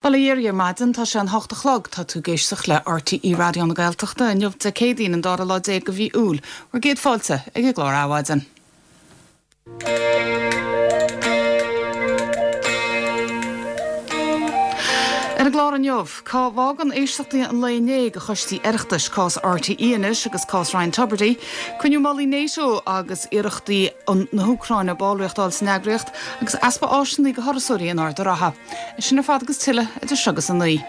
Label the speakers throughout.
Speaker 1: Bail ó Dhia oraibh ar maidin, tá sé an hocht a chlog, tá tú ag éisteacht le RTÉ Raidió na Gaeltachta, inniu Dé Céadaoin an dara lá déag de mhí Iúil. Bhur gcéad fáilte ag an gclár Adhmhaidin. Ar an gclár inniu, cá bhfágann éisteachtaí an lae inné do choistí Oireachtais, cás RTÉ anois agus cás Ryan Tubridy, cruinniú mullaigh NATO agus iarrachtaí na hÚcráine ballraíocht a fháil san eagraíocht, agus easpa áiseanna do thurasóirí in Ard an Rátha. É sin ar fad agus tuilleadh idir seo agus a 9.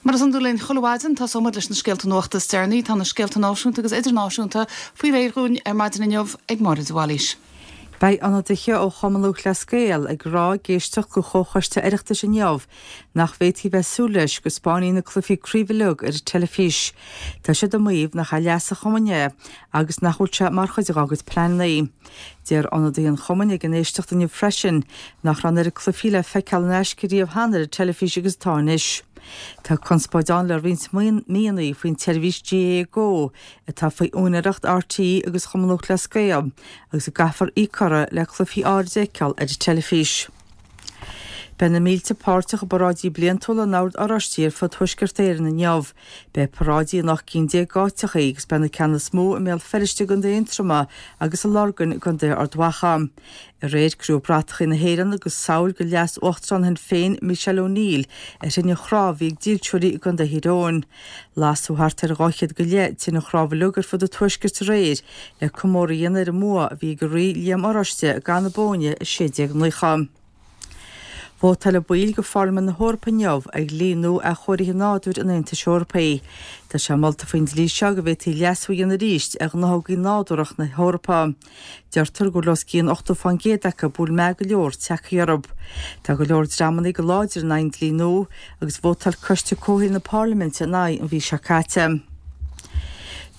Speaker 1: Mar is iondúil linn chuile mhaidin, tosóidh muid leis na scéalta nuachta is deireanaí. Tá na scéalta náisiúnta agus idirnáisiúnta faoi réir dhúinn ar maidin inniu ag Máire de Bhailís.
Speaker 2: Beidh ionadaithe ó Chumann Lúthchleas Gael ag rá ag éisteacht do Chomhchoiste Oireachtais inniu nach bhféadfaí a bheith ag súil leis go 'spáinfí na cluichí craoibhe uilig ar an teilifís. Tá siad ag maíomh nach é leas an chumainn é agus nach bhfuil sé mar chuid dá gcuid pleananna. Deir ionadaithe an chumainn ag an éisteacht inniu freisin nach raibh an oiread cluichí le feiceáil in aisce riamh cheana ar an teilifís agus atá anois. Tá conspóid ann le roinnt míonna faoin tseirbhís GAA Go atá faoi úinéireacht RTÉ agus Chumann Lúthchleas Gael agus a gcaithfear íoc orthu le cluichí áirid a fheiceáil ar an teilifís. Beidh na mílte páirteach i bparáidí bliantúla an Oird Oráistigh ar fud Thuaisceart Éireann inniu. Beidh paráidí in 18 cinn d'áiteachaí agus beidh na ceanna is mó i mBéal Feirste i gContae Aontroma agus i Lorgain i gContae Ard Mhacha. Aréir cuireadh bratachaí na hÉireann agus samhail de leas-uachtarán Shinn Féin Michelle O'Neill ar thine chnámh a bhí ag dílseoirí i gContae Thír Eoghain. Lasadh thart ar 200 go leith tine chnámh uilig ar fud an tuaiscirt aréir le comóradh a dhéanamh ar an mbua a bhí ag an Rí Liam Oráiste i gCath na Bóinne i 1690. Vótáilfidh baill de Pharlaimint na hEorpa inniu ar dhlí nua athchóirithe nádúir an Aontais Eorpaigh. Tá sé molta faoin dlí seo go bhféadfaí leasú a dhéanamh arís ar ghnáthógaí nádúrtha na hEorpa. Deirtear go bhfuil os cionn 80% acu a bhfuil meath go leor tagtha orthu. Tá go leor dreamanna go láidir in aghaidh an dlí nua agus vótáil Coiste Comhshaoil na Parlaiminte ina aghaidh an mhí seo caite.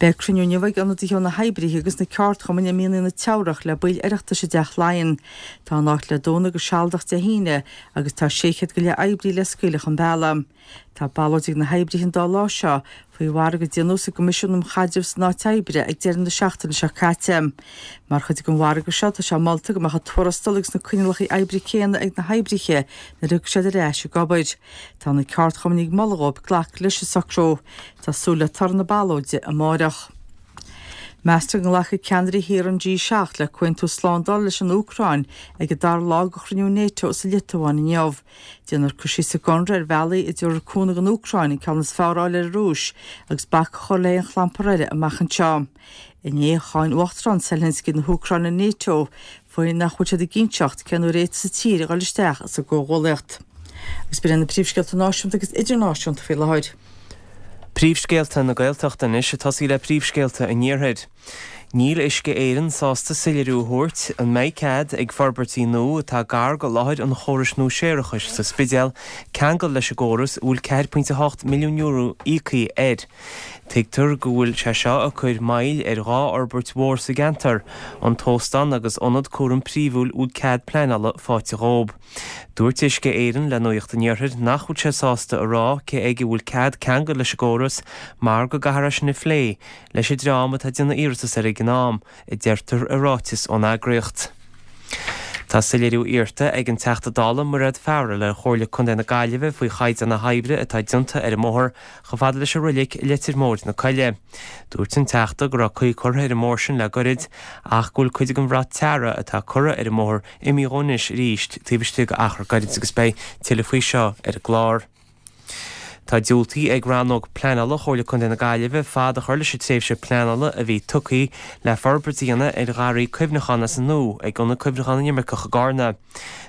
Speaker 2: Beidh cruinniú inniu ag ionadaithe ó na hoibrithe agus na ceardchumainn i Mianaigh na Teamhrach le baill Oireachtais i dTeach Laighean. Tá an áit le dúnadh go sealadach Dé hAoine agus tá 600 go leith oibrí le scaoileadh chun bealaigh. Tá ballóid ag na hoibrithe an dá lá seo faoi mhargadh a déanadh sa gCoimisiún um Chaidreamh san Áit Oibre ag deireadh na seachtaine seo caite. Mar chuid den mhargadh seo tá sé molta go mbeadh an tuarastal agus na coinníollacha oibre céanna ag na hoibrithe nuair a thiocfaidh siad ar ais ag obair. Tá na ceardchumainn ag moladh dhóibh glacadh leis an socrú. Tá súil le toradh na ballóide amáireach. Meastar go nglacfaidh ceannairí thíortha an G7 le comhaontú slándála leis an Úcráin ag an dara lá de chruinniú Nato sa Liotuáin inniu. Déanfar cur síos sa gconradh ar bhealaí a dtabharfar cúnamh don Úcráin an ceann is fearr a fháil ar an Rúis agus bac a chur le haon chlampar eile amach anseo. Inné, cháin Uachtarán Zelensky na hÚcráine Nato faoi nach bhfuil siad ag inseacht cén uair a fhéadfas a tír a dhul isteach sa gcomhghuallaíocht. Agus b'in iad na príomhscéalta náisiúnta agus idirnáisiúnta faoi láthair.
Speaker 3: Príomhscéalta na Gaeltachta anois ag tosaí le príomhscéalta an Iarthair. Níl Uisce Éireann sásta soiléiriú a thabhairt an mbeidh cead ag forbairtí nua atá gar go láthair an chórais nua séarachais sa Spidéal ceangal leis an gcóras a bhfuil €4.8 milliún íoctha air. Tuigtear go bhfuil sé seo ag cur moill ar dhá fhorbairt mhór sa gceantar, an t-óstán agus ionad cúraim príomhúil a bhfuil cead pleanála faighte dhób. Dúirt Uisce Éireann le Nuacht an Iarthair nach bhfuil sé sásta a rá cé aige a bhfuil cead ceangal leis an gcóras mar go gcaithfear é sin a phlé leis an dream atá ag déanamh iarratas air ag an am, a deirtear i ráiteas ón eagraíocht. Tá soiléiriú iarrta ag an Teachta Dála Mairéad Farrell ar Chomhairle Contae na Gaillimhe faoi chaighdeán na hoibre atá déanta ar an mbóthar chomh fada leis an roilig i Leitir Móir na Coille. Dúirt an Teachta go raibh caoi curtha ar an mbóthar sin le goirid ach go bhfuil cuid den bhrat tarra atá curtha ar an mbóthar imithe dhó anois arís taobh istigh d'achar gairid agus beidh tuilleadh faoi seo ar an gclár. Tá diúltaithe ag Rannóg Pleanála Chomhairle Contae na Gaillimhe fad a chur leis an tréimhse pleanála a bhí tugtha le forbairt a dhéanamh ar gharraí cuimhneacháin as an nua ag Ionad Cuimhneacháin na nImirceach i gCarna.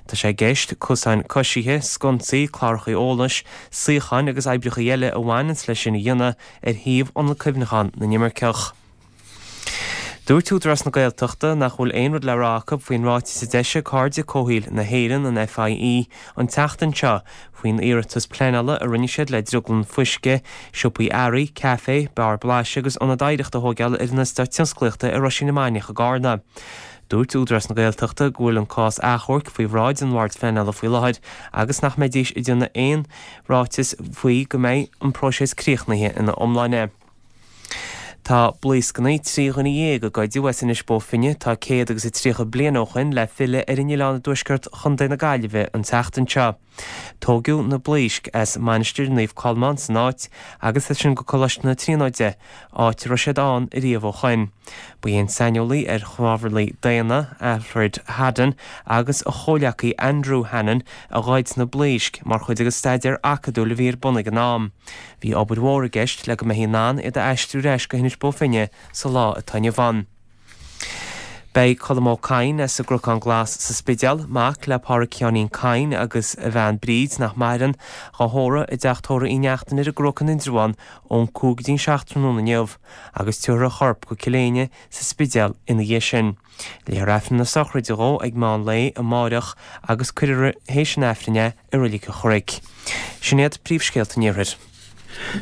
Speaker 3: Tá sé i gceist cosáin coisithe, sconsaí, cláracha eolais, suíocháin agus oibreacha eile a bhaineanns leis sin a dhéanamh ar shuíomh Ionad Cuimhneacháin na nImirceach. Dúirt Údarás na Gaeltachta nach bhfuil aon rud le rá acu faoin ráiteas a d'eisigh Cairde Comhshaoil na hÉireann, an FIE, an tseachtain seo faoin iarratas pleanála a rinne siad le drioglann fuisce, siopaí earraí, caife, beár blaiseadh agus ionad oidhreachta a thóigeáil ar an eastát tionsclaíochta i Roisín na Mainiach i gCarna. Dúirt Údarás na Gaeltachta go bhfuil an cás achomhairc faoi bhráid an Bhoird Phleanála faoi láthair agus nach mbeidís ag déanamh aon ráiteas faoi go mbeidh an próiseas críochnaithe ina iomláine. Tá blaoscanna 13 dhuine a goideadh as Inis Bó Finne tá 130 bliain ó shoin le filleadh ar an oileán i dtuaisceart Chontae na Gaillimhe an tseachtain seo. Tóigeadh na blaoisc as Mainistir Naomh Colmán san áit agus as sin go Coláiste na Tríonóide, áit a raibh siad ann ariamh ó shoin. Ba é an saineolaí ar chnámharlaigh daonna, Alfred Haddon, agus a chomhleacaí Andrew Hannon a ghoid na blaoisc mar chuid de staidéar acadúil a bhí ar bun ag an am. Bhí obair mhór i gceist le go mbeifí in ann iad a aistriú ar ais go hInis Bó Finne sa lá atá inniu ann. Beidh Colm Ó Cadhain as an gCnocán Glas sa Spidéal, mac le Pádhraic Sheáinín Cadhain agus a bhean Bríd, nach maireann, dhá thórramh i dteach tórraimh Uí Neachtain ar an gCnoc in Indreabhán ón 5 go dtí an 7 tráthnóna inniu agus tabharfar a chorp go Cill Éinne sa Spidéal ina dhiaidh sin. Léifear Aifreann na sochraide dhó ag meán lae amáireach agus cuirfear théis an Aifrinn é i Reilig an Chnoic. Sin iad príomhscéalta an Iarthair.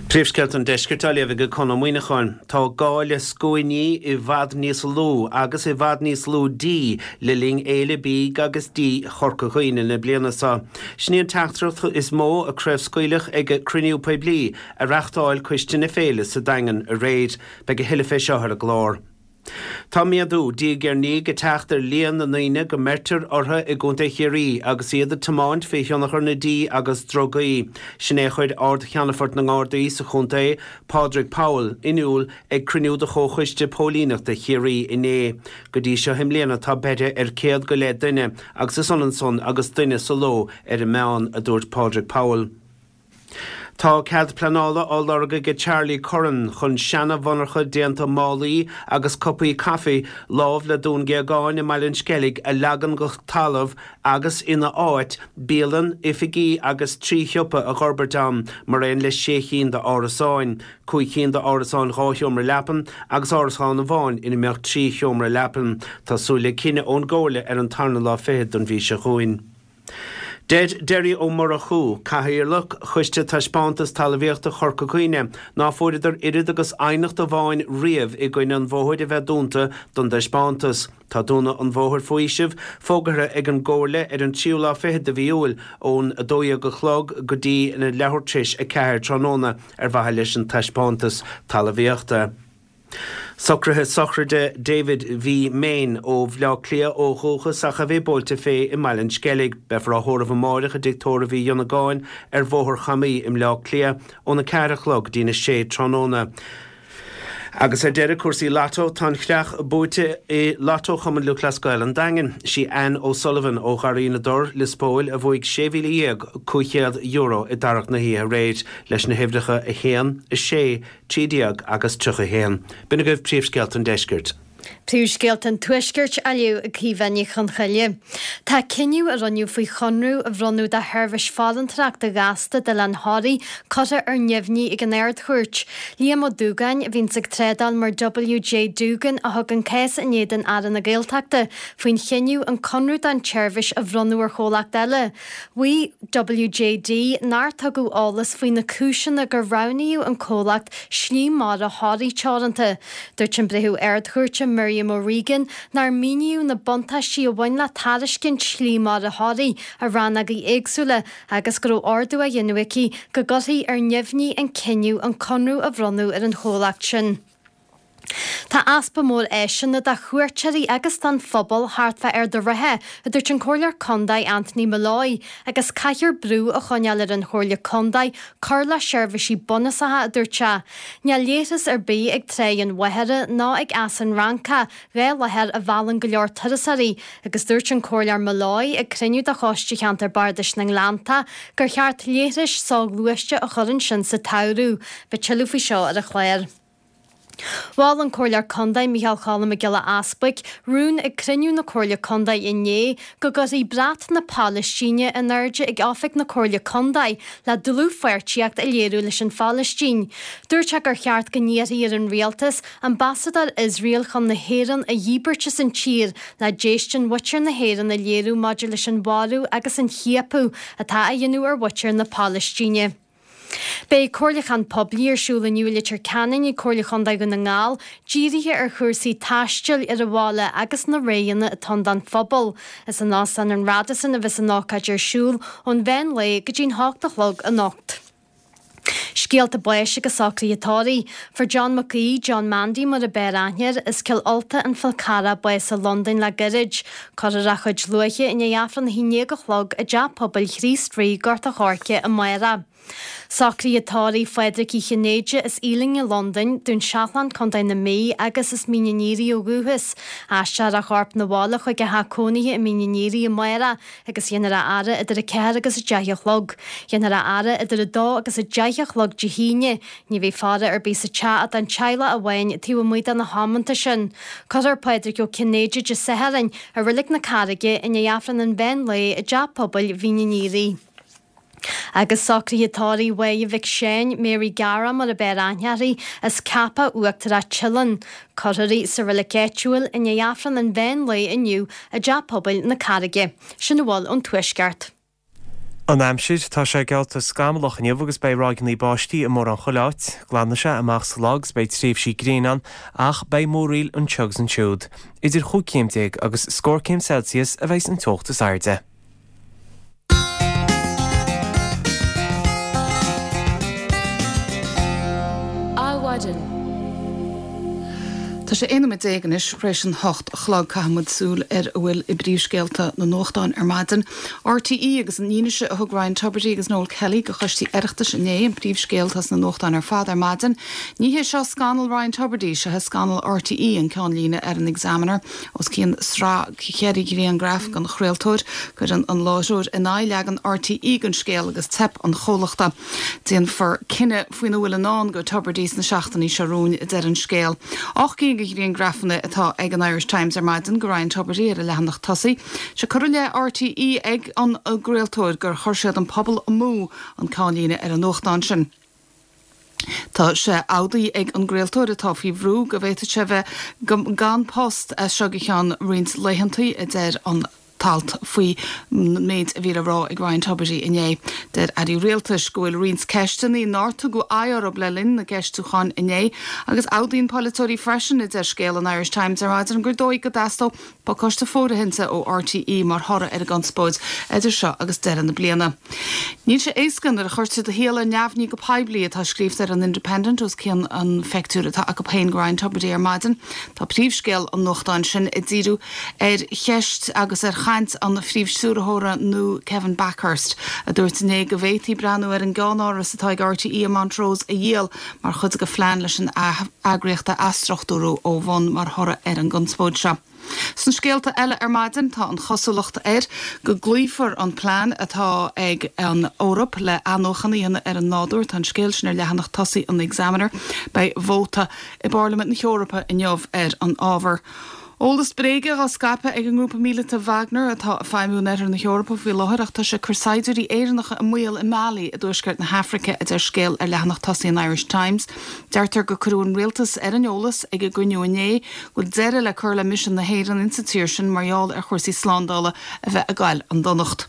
Speaker 4: Príomhscéalta an Deiscirt á léamh ag Conn Ó Muíneacháin. Tá gá le scuainí i bhfad níos lú agus i bhfad níos lú dí le linn Fhéile Bídh agus Dí Chorca Dhuibhne na bliana seo. Sin í an teachtaireacht is mó a craobhscaoileadh ag cruinniú poiblí a reachtáil Coiste na Féile sa Daingean aréir. Beidh a thuilleadh fé seo ar an gclár. Tá méadú, diaidh ar ndiaidh, ag teacht ar líon na ndaoine go mbeirtear orthu i gContae Chiarraí agus iad ag tiomáint faoi thionchar na dí agus drugaí. Sin é a chuir Ard-Cheannfort na nGardaí sa chontae, Pádraig Powell, in iúl ag cruinniú de Chomhchoiste Póilíneachta Chiarraí inné. Go dtí seo i mbliana tá beirthe ar 100 go leith duine agus is ionann san agus duine sa ló ar an meán, a dúirt Pádraig Powell. Tá cead pleanála á lorg ag Charlie Curran chun seana-mhonarcha déanta málaí agus cupaí caife lámh le Dún Géagáin i mBaile an Sceilg a leagan go talamh agus ina áit, bialann, oifigí agus 3 shiopa a dh'fhorbairt ann mar aon le 6 chinn d'árasáin, 5 chinn d'árasáin 2 sheomra leapan agus árasán amháin ina mbeadh 3 sheomra leapan. Tá súil le cinneadh ón gComhairle ar an tarna lá fichead den mhí seo chugainn. Deir Derry Ó Murchú, Cathaoirleach Choiste Taispeántas Talmhaíochta Chorca Dhuibhne, ná fuaireadar oiread agus aighneacht amháin riamh i gcoinne an bhóthair a bheith dúnta don dtaispeántas. Tá dúnadh an bhóthair faoi fhaoiseamh fógartha ag an gComhairle ar an tríú lá fichead de mhí Iúil ón 12 a chlog go dtí an leathuair tar éis 4 tráthnóna ar mhaithe leis an taispeántas talmhaíochta. Socruithe sochraide David V. Main ó Bhleá Cliath ó dhúchas ach a bhí buailte fé i mBaile an Sceilg. Beifear á thórramh amáireach i dTigh Tórraimh Uí Dhonnagáin ar Bhóthar Chamaí i mBleá Cliath óna 4 a chlog go dtína 6 tráthnóna. Agus ar deireadh, cúrsaí Lotto, tá an chreach buaite i Lotto Chumann Lúthchleas Gael an Daingin. Sí Anne O'Sullivan ó Gharraí na dTor, Lios Póil, a bhuaigh €16,500 i dtarrac na hoíche aréir leis na huimhreacha 1, 6, 13 agus 31. B'in agaibh príomhscéalta an deiscirt.
Speaker 5: Príomhscéalta an Tuaiscirt á léamh ag Caoimhe Ní Chonchoille. Tá cinneadh a rinneadh faoi chonradh a bhronnadh do sheirbhís farantóireachta ghasta d'Oileán Thoraí curtha ar neamhní ag an Ard-Chúirt. Liam Ó Dúgáin, a bhíonns ag trádáil mar WJ Doogan, a thug an cás in éadan Aire na Gaeltachta faoin chinneadh an conradh don tseirbhís a bhronnadh ar chomhlacht eile. Mhaígh WJD nár tugadh eolas faoi na cúiseanna gur roghnaíodh an comhlacht Slí Mara Thoraí Teoranta. Dúirt an Breitheamh Ard-Chúirte Miriam O'Regan nár míníodh na buntáistí a bhain le tairiscint Shlí Mara Thoraí i rannógaí éagsúla agus go raibh ordú á dhéanamh aici go gcuirfí ar neamhní an cinneadh an conradh a bhronnadh ar an chomhlacht sin. Tá easpa mór áiseanna do chuairteoirí agus don phobal thart fá Ard a' Rátha, a dúirt an Comhairleoir Condae Anthony Molloy, agus caithfear brú a choinneáil ar an Chomhairle Condae cur le seirbhísí bunúsacha, a dúirt sé. Níl leithreas ar bith ag Tráigh an Mhachaire ná ag Eas an Fhrancach, 2 láthair a mheallann go leor turasóirí, agus dúirt an Comhairleoir Molloy ag cruinniú de Choiste Cheantar Bardais na nGleannta gur cheart leithris soghluaiste a chur ansin sa tsamhradh. Beidh tuilleadh faoi seo ar an chlár. Mhol an Comhairleoir Condae Micheál Choilm Mac Giolla Easbuic rún ag cruinniú na Comhairle Condae inné go gcuirfí brat na Palaistíne in airde ag oifig na Comhairle Condae le dlúthpháirtíocht a léiriú leis an Phalaistín. Dúirt sé gur cheart go n-iarrfaí ar an Rialtas ambasadóir Iosrael chun na hÉireann a dhíbirt as an tír le déistin mhuintir na hÉireann a léiriú maidir leis an mharú agus an chiapadh atá á dhéanamh ar mhuintir na Palaistíne. Beidh comhairliúchán poiblí ar siúl inniu i Leitir Ceanainn ag Comhairle Chontae Dhún na nGall, dírithe ar chúrsaí taistil ar an bhaile agus na roghanna atá ann don phobal. Is in Óstán an Radisson a bheas an ócáid ar siúl ón mheán lae go dtí'n hocht a chlog anocht. Scéalta báis agus socruithe tórraimh. Fuair John Mac Aoidh, John Mandy mar a b'fhearr aithne air, as Cill Ulta, An Fál Carrach, bás i Londain le gairid. Cuirfear a chuid luaithe i ndiaidh Aifreann a 11 a chlog i dTeach Pobail Chríost Rí, Gort a' Choirce, amárach. Socruithe tórraimh Phádraic Uí Chinnéide as Ealing i Londain, Dún Seachlainn, Co. na Mí agus as Mín an Fhíoraigh ó dhúchas. Aistreofar a chorp 'na bhaile chuig a theach cónaithe i Mín an Fhíoraigh amárach agus dhéanfar a fhaire idir 4 agus 10 a chlog. Dhéanfar a fhaire idir 2 agus 10 a chlog Dé hAoine. Ní bheidh faire ar bith sa teach ach don teaghlach amháin taobh amuigh de na hamanta sin. Cuirfear Pádraig Ó Cinnéide Dé Sathairn i Reilig na Carraige i ndiaidh Aifreann an mheán lae i dTeach Pobail Mhín an Fhíoraigh. Agus socruithe tórraimh Mháire Mhic Seáin, Mary Gara mar a b'fhearr aithne uirthi, as Ceapach Uachtarach Teileann. Cuirfear í sa reilig áitiúil i ndiaidh Aifreann an mheán lae inniu i dTeach Pobail na Carraige. Sin a bhfuil ón Tuaisceart.
Speaker 3: An aimsir, Tá sé geallta scamallach inniu agus beidh ráigeanna báistí i mórán chuile áit. Glanfaidh sé amach sa lá agus beidh tréimhsí gréine ann ach beidh múraíl anseo agus ansiúd. Idir chúig chéim déag agus scór céim Celsius a bheidh an teocht is airde.
Speaker 1: Adhmhaidin. Tá sé 11 nóiméad anois tar éis an 8 a chlog. Caithfidh muid súil ar a bhfuil i bpríomhscéalta na nuachtán ar maidin. RTÉ agus an fhianaise a thug Ryan Tubridy agus Noel Kelly go choistí Oireachtais inné, an príomhscéal atá sna nuachtáin ar fad ar maidin. Ní hé seo scannal Ryan Tubridy, seo é scannal RTÉ, an ceannlíne ar an Examiner. Os cionn sraith cheithre ghrianghraf den chraoltóir, cuireann an láithreoir in aghaidh leagan RTÉ den scéal agus teip an chomhlachta. Déanfar cinneadh faoina bhfuil i ndán go Tubridy sna seachtainí seo romhainn, a deir an scéal. 8 gcinn de ghrianghrafanna atá ag an Irish Times ar maidin de Ryan Tubridy ar a leathanach tosaigh. Sé cur i leith RTÉ ag an gcraoltóir gur chuir siad an pobal amú, an ceannlíne ar an nuachtán sin. Tá sé amhdaithe ag an gcraoltóir, atá faoi bhrú, go bhféadfadh sé bheith gan post as seo go ceann roinnt laethantaí, a deir an t-alt faoin méid a bhí le rá ag Ryan Tubridy inné. Deir airí rialtais go bhfuil roinnt ceisteanna nár tugadh aghaidh orthu le linn na gceistiúchán inné agus amhdaíonn polaiteoirí freisin, a deir scéal an Irish Times ar maidin, gur dóigh go dteastódh Pacáiste fóirithinte ó RTÉ mar thoradh ar an gconspóid idir seo agus deireadh na bliana. Níl sé éasca nuair a chuirtear do shaol ar neamhní go poiblí, atá scríofa ar an Independent os cionn an phictiúir atá acu féin de Ryan Tubridy ar maidin. Tá príomhscéal an nuachtáin sin ag díriú ar cheist agus ar chaint an phríomhstiúrthóra nua Kevin Bakhurst, a dúirt inné go bhféadfaí breathnú ar an gceannáras atá ag RTÉ i Montrose a dhíol mar chuid de phlean leis an eagraíocht a athstruchtúrú ó bhun mar thoradh ar an gconspóid seo. Sna scéalta eile ar maidin, tá an chosúlacht air go gcloífear an plean atá ag an Eoraip le athnuachan a dhéanamh ar an nádúr. Tá an scéal sin ar leathanach tosaigh an Examiner. Beidh vóta i bParlaimint na hEorpa inniu ar an ábhar. Eolas bréige á scaipeadh ag an ngrúpa míleata Wagner atá ag feidhmiú in oirthear na hEorpa faoi láthair ach tá sé ag cur saighdiúirí Éireannacha i mbaol i Mali i dtuaisceart na hAfraice, a deir scéal ar leathanach tosaigh an Irish Times. Deirtear gur cuireadh an rialtas ar an eolas ag an gcruinniú inné go bhfuil deireadh le cur le misean na hÉireann insa tír sin mar gheall ar chúrsaí slándála a bheith ag goil 'un donacht.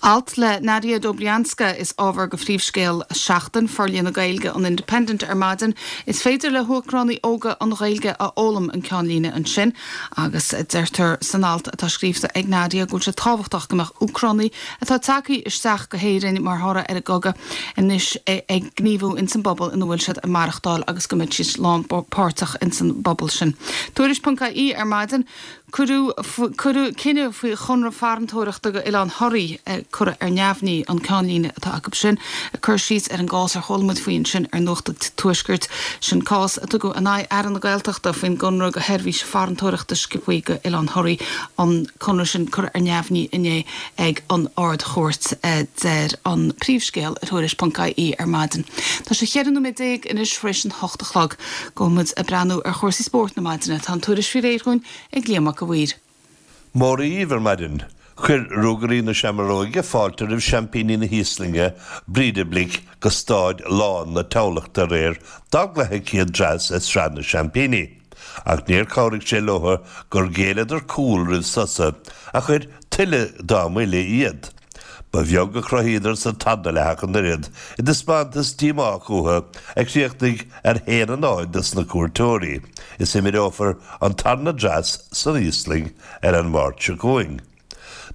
Speaker 1: Alt le Nadia Dobrianska is ábhar go phríomhscéal Seachtain Forlíonadh Gaeilge an Independent ar maidin. Is féidir le hÚcránaigh óga an Ghaeilge a fhoghlaim an ceannlíne ansin agus deirtear san alt atá scríofa ag Nadia go bhfuil sé tábhachtach go mbeadh Úcránaigh atá tagtha isteach go hÉirinn mar thoradh ar an gcogadh anois ag gníomhú ins an bpobal ina bhfuil siad ag maireachtáil agus go mbeidh siad lánpháirteach ins an bpobal sin. Tuairisc.ie ar maidin. Cuireadh cinneadh faoi chonradh farantóireachta go Oileán Thoraí curtha ar neamhní, an ceannlíne atá acu sin, ag cur síos ar an gcás ar chuala muid faoi ansin ar Nuacht an Tuaiscirt. Sin cás a tugadh in aghaidh Aire na Gaeltachta faoin gconradh go sheirbhís farantóireachta scipeáí go Oileán Thoraí, an conradh sin curtha ar neamhní inné ag an Ard-Chúirt, a deir an príomhscéal ar Thuairisc.ie ar maidin. Tá sé 14 nóiméad anois tar éis an hocht a chlog. Gabhfaidh muid ag breathnú ar chúrsaí spóirt na maidine. Tá an tuairisc faoi réir dhúinn ag Liam Mac a' Mhaoir.
Speaker 6: Móra dhíbh ar maidin. Chuir Ruagairí na Seamróige fáilte roimh seaimpíní na hÍoslainne, Breidablik, go Stáid lán na Thamhlachta aréir dá gcluiche céad dreas i Sraith na Seaimpíní. Ach níor chabhraigh sé leo gur ghéilleadar cúl roimh sosa a chuir tuilleadh dá mbuille iad. Ba bheag a chruthaíodar sa tarna leath ach an oiread, i dtaispeántas díomách uathu a chríochnaigh ar 1-0 dos na cuairteoirí, is imreofar an tarna dreas san Íoslainn ar an Máirt seo chugainn.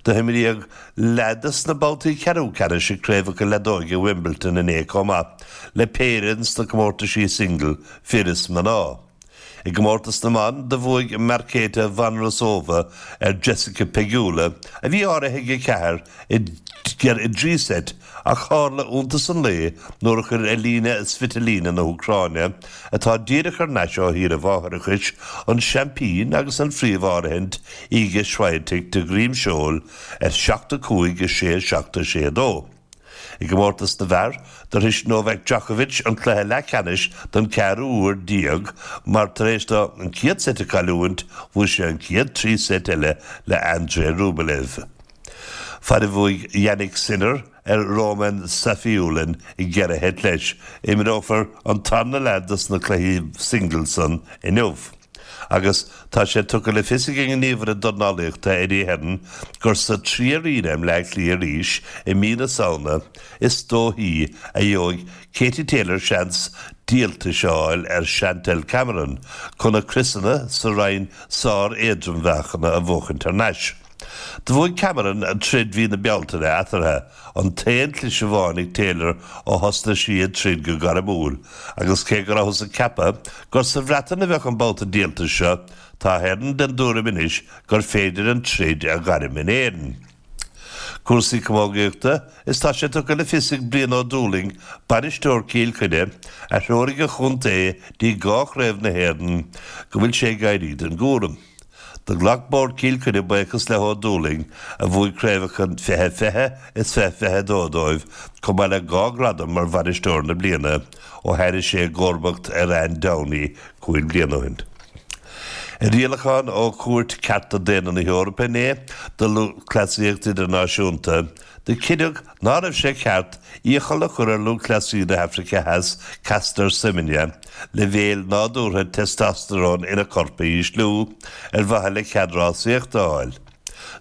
Speaker 6: Do himríodh leath de sna babhtaí ceathrú ceannais i gcraobhacha leadóige Wimbledon inné chomh maith le péire sna comórtaisí single fir is mná. I gcomórtas na mban, do bhuaigh Marketa Vondrousova ar Jessica Pegula, a bhí áirithe ag 4, i dtrí seit ach tharla iontas an lae nuair a chuir Elina Svitolina na hÚcráine, atá díreach thar n-ais ó shaoire mháithreachais, an seaimpín agus an phríomh-áirithint Iga Swiatek de dhroim seoil ar 7, 5, 6, 7, 6, 2. I gcomórtas na bhfear, do shrois Novak Djokovic an cluiche leathcheannais don ceathrú huair déag mar tar éis dó an chéad seit a chailliúint, bhuaigh sé an chéad 3 seit eile le Andrei Rublev. Fad a bhuaigh Jannik Sinner ar Roman Safiullin i gceithre sheit leis, imreofar an tarna leath dos na cluichí singles san inniu. Agus tá sé tugtha le fios ag an ngníomhaire dornálaíochta Eddie Hearn gur sa Trí Arena i mBleá Cliath arís i mí na Samhna is dóichí a gheobhaidh Katie Taylor seans díoltais a fháil ar Chantelle Cameron chun a criosanna sa roinn sár-éadrommheáchana a bhuachaint thar n-ais. Do bhuaigh Cameron troid mhí na Bealtaine eatarthu, an t-aon chliseadh amháin ag Taylor ó thosnaigh sí ag troid go gairmiúil, agus cé go rabhthas ag ceapadh gur sa Bhreatain a bheadh an babhta díoltais seo, tá Hearn den dtuairim anois gur féidir an troid a ghairm in Éirinn. Cúrsaí camógaíochta, Is tá sé tugtha le fios ag Brian Ó Dúlaing, bainisteoir Chill Chainnigh, a threoraigh an chontae dtí dhá chraobh na hÉireann, go bhfuil sé ag éirí den gcúram. Do ghlac Bord Chill Chainnigh buíochas le hÓ Dúlaing, a bhuaigh craobhacha 2020 is 2022 dóibh, chomh maith le dhá ghradam mar Bhainisteoir na Bliana, ó théirigh sé i gcomharbacht ar Ann Downey cúig bliana ó shin. I rialachán ó Chúirt Cearta Daonna na hEorpa inné do Lúthchleasaíocht Idirnáisiúnta, do cinneadh ná raibh sé ceart iachall a chur ar lúthchleasaí na hAfraice Theas Caster Semenya leibhéil nádúrtha testosterone ina corp a ísliú ar mhaithe le cead rásaíochta a fháil.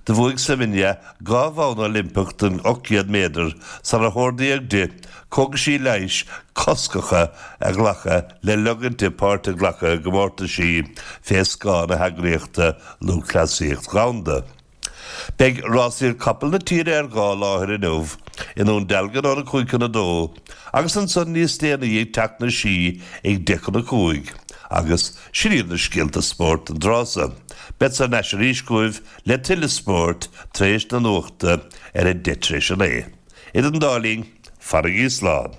Speaker 6: Do bhuaigh Semenya 2 bhonn Oilimpeach don 800 méadar sular hordaíodh di cógaisí leighis coscacha a ghlacadh le leigint di páirt a ghlacadh i gcomórtaisí fé scáth na heagraíochta Lúthchleasaíocht Dhomhanda. Beidh rásaíocht capall na tíre ar dhá láthair inniu, i nDún Dealgan óna 5 chun 2 agus ansan níos déanaí ag Teach na Sí ag 10 chun 5. Agus sin iad na scéalta spóirt don tráth so. Beadsa thar n-ais arís chugaibh le tuilleadh spóirt tar éis na nuachta ar a deich tar éis a naoi. Idir an dá linn, fanaigí slán.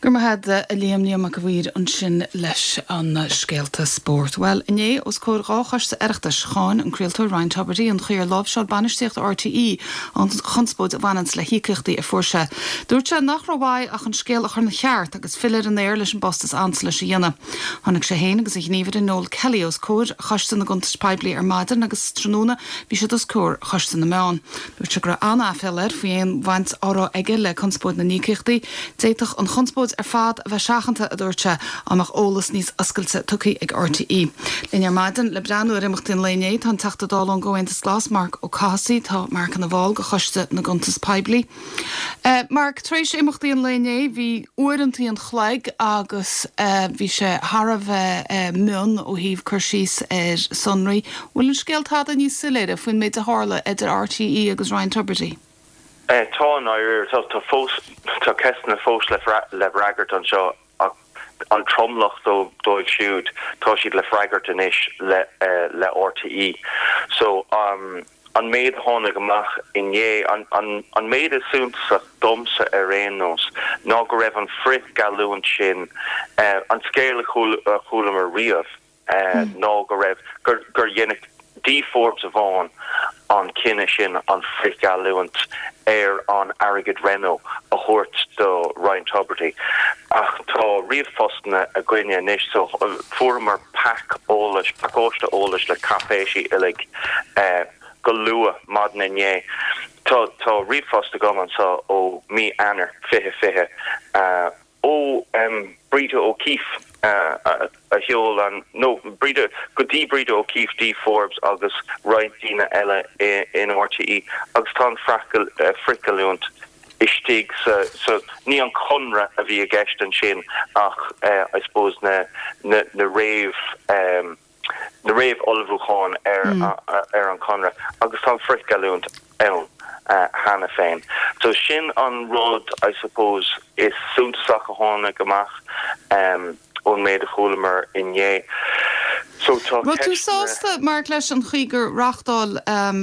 Speaker 1: Go raibh maith agat a Liam, Liam Mac a' Mhaoir ansin leis an scéalta spóirt. Bhuel, inné, os comhair dhá choiste Oireachtais, cháin an craoltóir Ryan Tubridy an chaoi ar láimhseáil bainistíocht RTÉ an chonspóid a bhaineanns le híocaíochtaí a fuair sé. Dúirt sé nach raibh uaidh ach an scéal a chur ina cheart agus filleadh ar an aer leis an bpost is ansa leis a dhéanamh. Tháinig sé féin agus a ghníomhaire Noel Kelly os comhair Choiste na gCuntas Poiblí ar maidin agus tráthnóna bhí siad os comhair Choiste na Meán. Dúirt sé go raibh an-aiféala air faoi aon bhaint á raibh aige le conspóid na n-íocaíochtaí. D'fhéadfadh an chonspóid ar fad a bheith seachanta, a dúirt sé, dá mbeadh eolas níos oscailte tugtha ag RTÉ. Linn ar maidin le breathnú ar imeachtaí an lae inné tá an Teachta Dála ón gComhaontas Glas, Marc Ó Cathasaigh. Tá Marc ina bhall de Choiste na gCuntas Poiblí. Marc, tar éis imeachtaí an lae inné, bhí uaireantaí an chloig agus bhí sé thar a bheith mion ó thaobh cur síos ar sonraí. Bhfuil an scéal tada níos soiléire faoin méid a tharla idir RTÉ agus Ryan Tubridy?
Speaker 7: Tá, i ndáiríre. Tá fós, tá ceisteanna fós le freagairt anseo ach an tromlach dóibh siúd, tá siad le freagairt anois le RTÉ. So, an méid a tháinig amach inné, an méid is suntasach domsa ar aon nós, ná go raibh an frithgheallúint sin, an scéal a chualamar riamh, ná go raibh, gur dhein Dee Forbes amháin an cinneadh sin an frithgheallúint ar an airgead Renault a thabhairt do Ryan Tubridy. Ach tá ríomhphostanna againne anois so fuaireamar pack eolais, pacáiste eolais le cáipéisí uilig go luath maidin inné. Tá tá ríomhphost agam anseo ó mí Eanáir 2020 ó Breda O'Keeffe a sheol an, nó Breda, go dtí Breda O'Keeffe, Dee Forbes agus roinnt daoine eile in RTÉ agus tá an frithgheallúint istigh sa, sa, ní an conradh a bhí i gceist ansin ach I suppose na, na, na réamh. Na réamh-ullmhúcháin ar an chonradh agus tá an frithgheallúint ann cheana féin. So sin an rud, I suppose, is suntasach a tháinig amach ón méid a chualamar inné.
Speaker 1: So tá Raibh tú sásta, Mark, leis an chaoi gur reáchtáil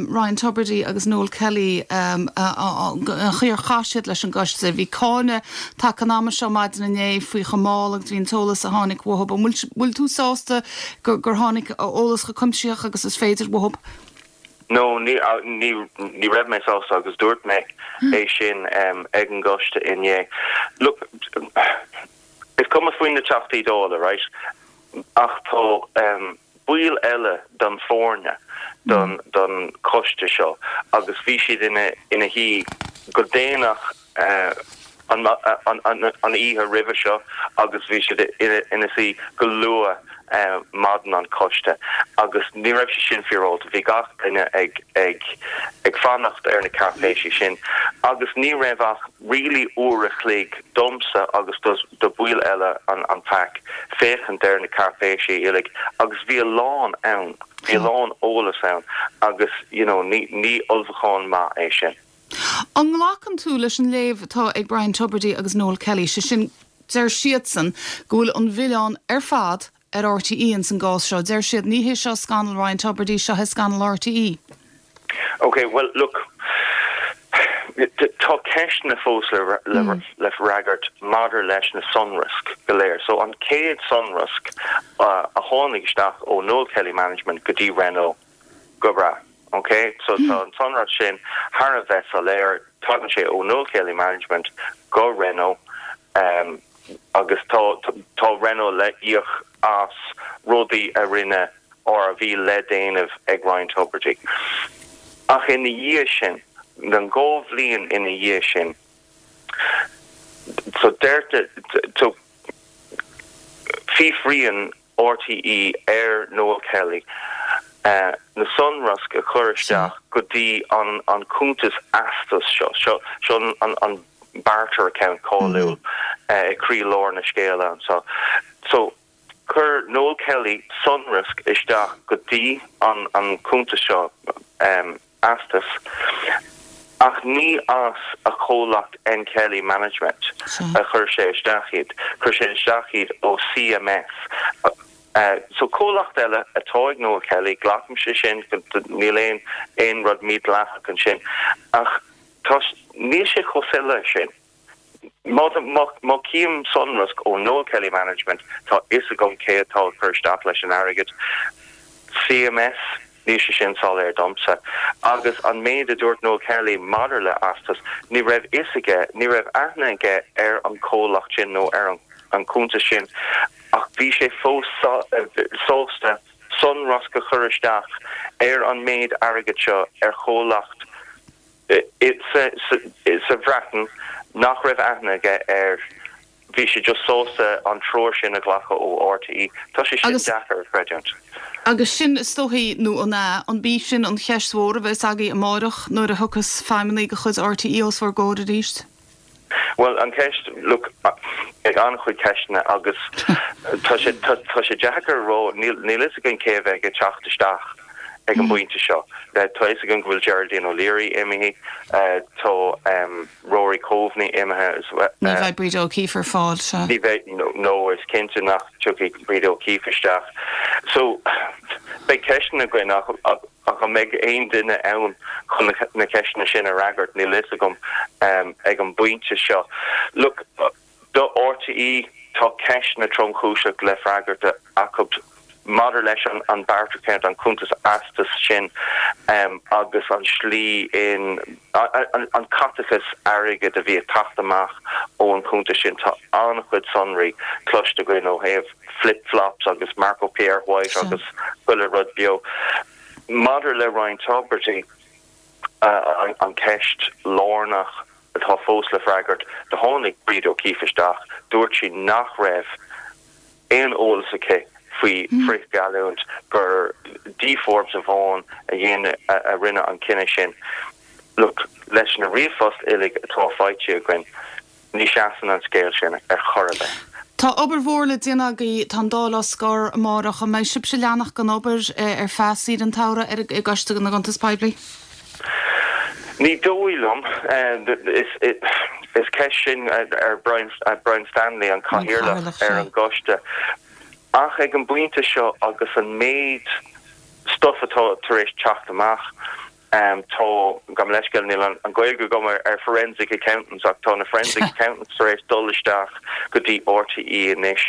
Speaker 1: Ryan Tubridy agus Noel Kelly an chaoi ar chaith siad leis an gcoiste? Bhí cáineadh tagtha an ama seo maidin inné faoi chomh mall agus bhí an t-eolas a tháinig uathu. An bhfuil tú sásta gur tháinig eolas chomh cuimsitheach agus is féidir uathu?
Speaker 7: No, ní, ní, ní raibh mé sásta agus dúirt mé é sin ag an gcoiste inné. Look, is cuma faoi na Teachtaí Dála, right? Ach tá baill eile den foirne don, don choiste seo agus bhí siad ina, ina shuí go déanach an oíche roimhe seo agus bhí siad ina suí go luath maidin an choiste agus ní raibh sé sin féaráilte. Bhí gach duine ag ag fanacht ar na cáipéisí sin agus ní raibh ach really uair a chloig domsa agus do bhaill eile an pac féachaint ar na cáipéisí uilig agus bhí a lán ann, bhí a lán eolas ann agus you know ní ní ullmhúchán maith é sin.
Speaker 1: An nglacann tú leis an léamh atá ag Ryan Tubridy agus Noel Kelly, sé sin, deir siadsan go bhfuil an milleán ar fad ar RTÉ ins an gcás seo. Deir siad, ní hé seo scannal Ryan Tubridy, seo é scannal RTÉ.
Speaker 7: Ok, bhuel, look, tá ceisteanna fós le freagairt maidir leis na sonraisc go léir. So an chéad sonrasc a tháinig isteach ó Noel Kelly Management go dtí Renault, Go breá. Ok, so tá an sonrasc sin thar a bheith soiléir, tagann sé ó Noel Kelly Management go Renault agus tá tá Renault le íoc as rudaí a rinne or a bhí le déanamh ag Ryan Tubridy. Ach ina dhiaidh sin, na dhá bhliain ina dhiaidh sin, so deirtear, so fiafraíonn RTÉ ar Noel Kelly na sonraisc a chur isteach go dtí an cuntas eastais seo. Seo an barter account cáiliúil i gcroílár na scéala anseo. So, chuir Noel Kelly sonrasc isteach go dtí an cuntas seo. eastas, ach ní as a chomhlacht N Kelly Management a chuir sé isteach iad, chuir sé isteach iad ó CMS. So comhlacht eile atá ag Noel Kelly, glacaimse sin, níl aon aon rud mídhleathach ansin, ach tá, níl sé chomh soiléir sin. Má má chím sonrasc ó Noel Kelly Management tá fhios agam cé atá ag cur isteach leis an airgead. CMS, níl sé sin soiléir domsa. Agus an méid a dúirt Noel Kelly maidir le Astus, ní raibh fhios aige, ní raibh aithne aige ar an chomhlacht sin nó ar an chuntas sin ach bhí sé fós sásta sonrasc a chur isteach ar an méid airgid seo ar chomhlacht sa Bhreatain nach raibh aithne aige air. Bhí sé just sásta an treoir sin a ghlacadh ó RTÉ. Tá sé sin deacair a chreidiúint.
Speaker 1: Agus sin, is dóichí, nó an ea, an b'í sin an cheist mhór a bheas agaibh amáireach nuair a thiocfas feidhmeannaigh de chuid RTÉ os bhur gcomhair arís?
Speaker 7: Bhuel, an cheist, look, beidh an-chuid ceisteanna agus tá sé, tá sé deacair a rá, níl, níl fhios againn cé a bheidh ag teacht isteach ag an bpointe seo. Tá fhios againn go bhfuil Geraldine O'Leary imithe, tá Rory Coveney imithe as well.
Speaker 1: Ní bheidh Breda O'Keeffe ar fáil, sea.
Speaker 7: Ní bheidh, no, is cinnte nach dtiocfaidh Breda O'Keeffe isteach. So, beidh ceisteanna againn ach ach an mbeidh aon duine ann chun na ceisteanna sin a fhreagairt, níl fhios agam ag an bpointe seo. Look, do RTÉ, tá ceisteanna tromchúiseach le freagairt acu maidir leis an barter account, an cuntas eastais sin agus an slí in, an caiteachas airgid a bhí ag teacht amach ón chuntas sin. Tá an-chuid sonraí cloiste againn ó thaobh flip flops agus Marco Pierre White agus chuile rud beo. Maidir le Ryan Tubridy, an cheist lárnach atá fós le freagairt, do tháinig Breda O'Keeffe isteach, dúirt sí nach raibh aon eolas aici faoi frithgheallúint, gur Dee Forbes amháin a dhein, a rinne an cinneadh sin. Look, leis na ríomhphoist uilig atá faighte againn, ní sheasann an scéal sin ar chor ar bith.
Speaker 1: Tá obair mhór le déanamh agaibh, tá an Dáil á scor amárach. An mbeidh sibhse ag leanacht den obair ar feadh saoire an tsamhraidh ar i gCoiste na gCuntas Poiblí?
Speaker 7: Ní dóigh liom. Is ceist sin ar Brian Stanley, an Cathaoirleach ar an gcoiste. Ach ag an bpointe seo agus an méid stuif atá tar éis teacht amach, Tá, gabh mo leithscéal, níl an Ghaeilge agam ar forensic accountants ach tá na forensic accountants tar éis dul isteach go dtí RTÉ anois.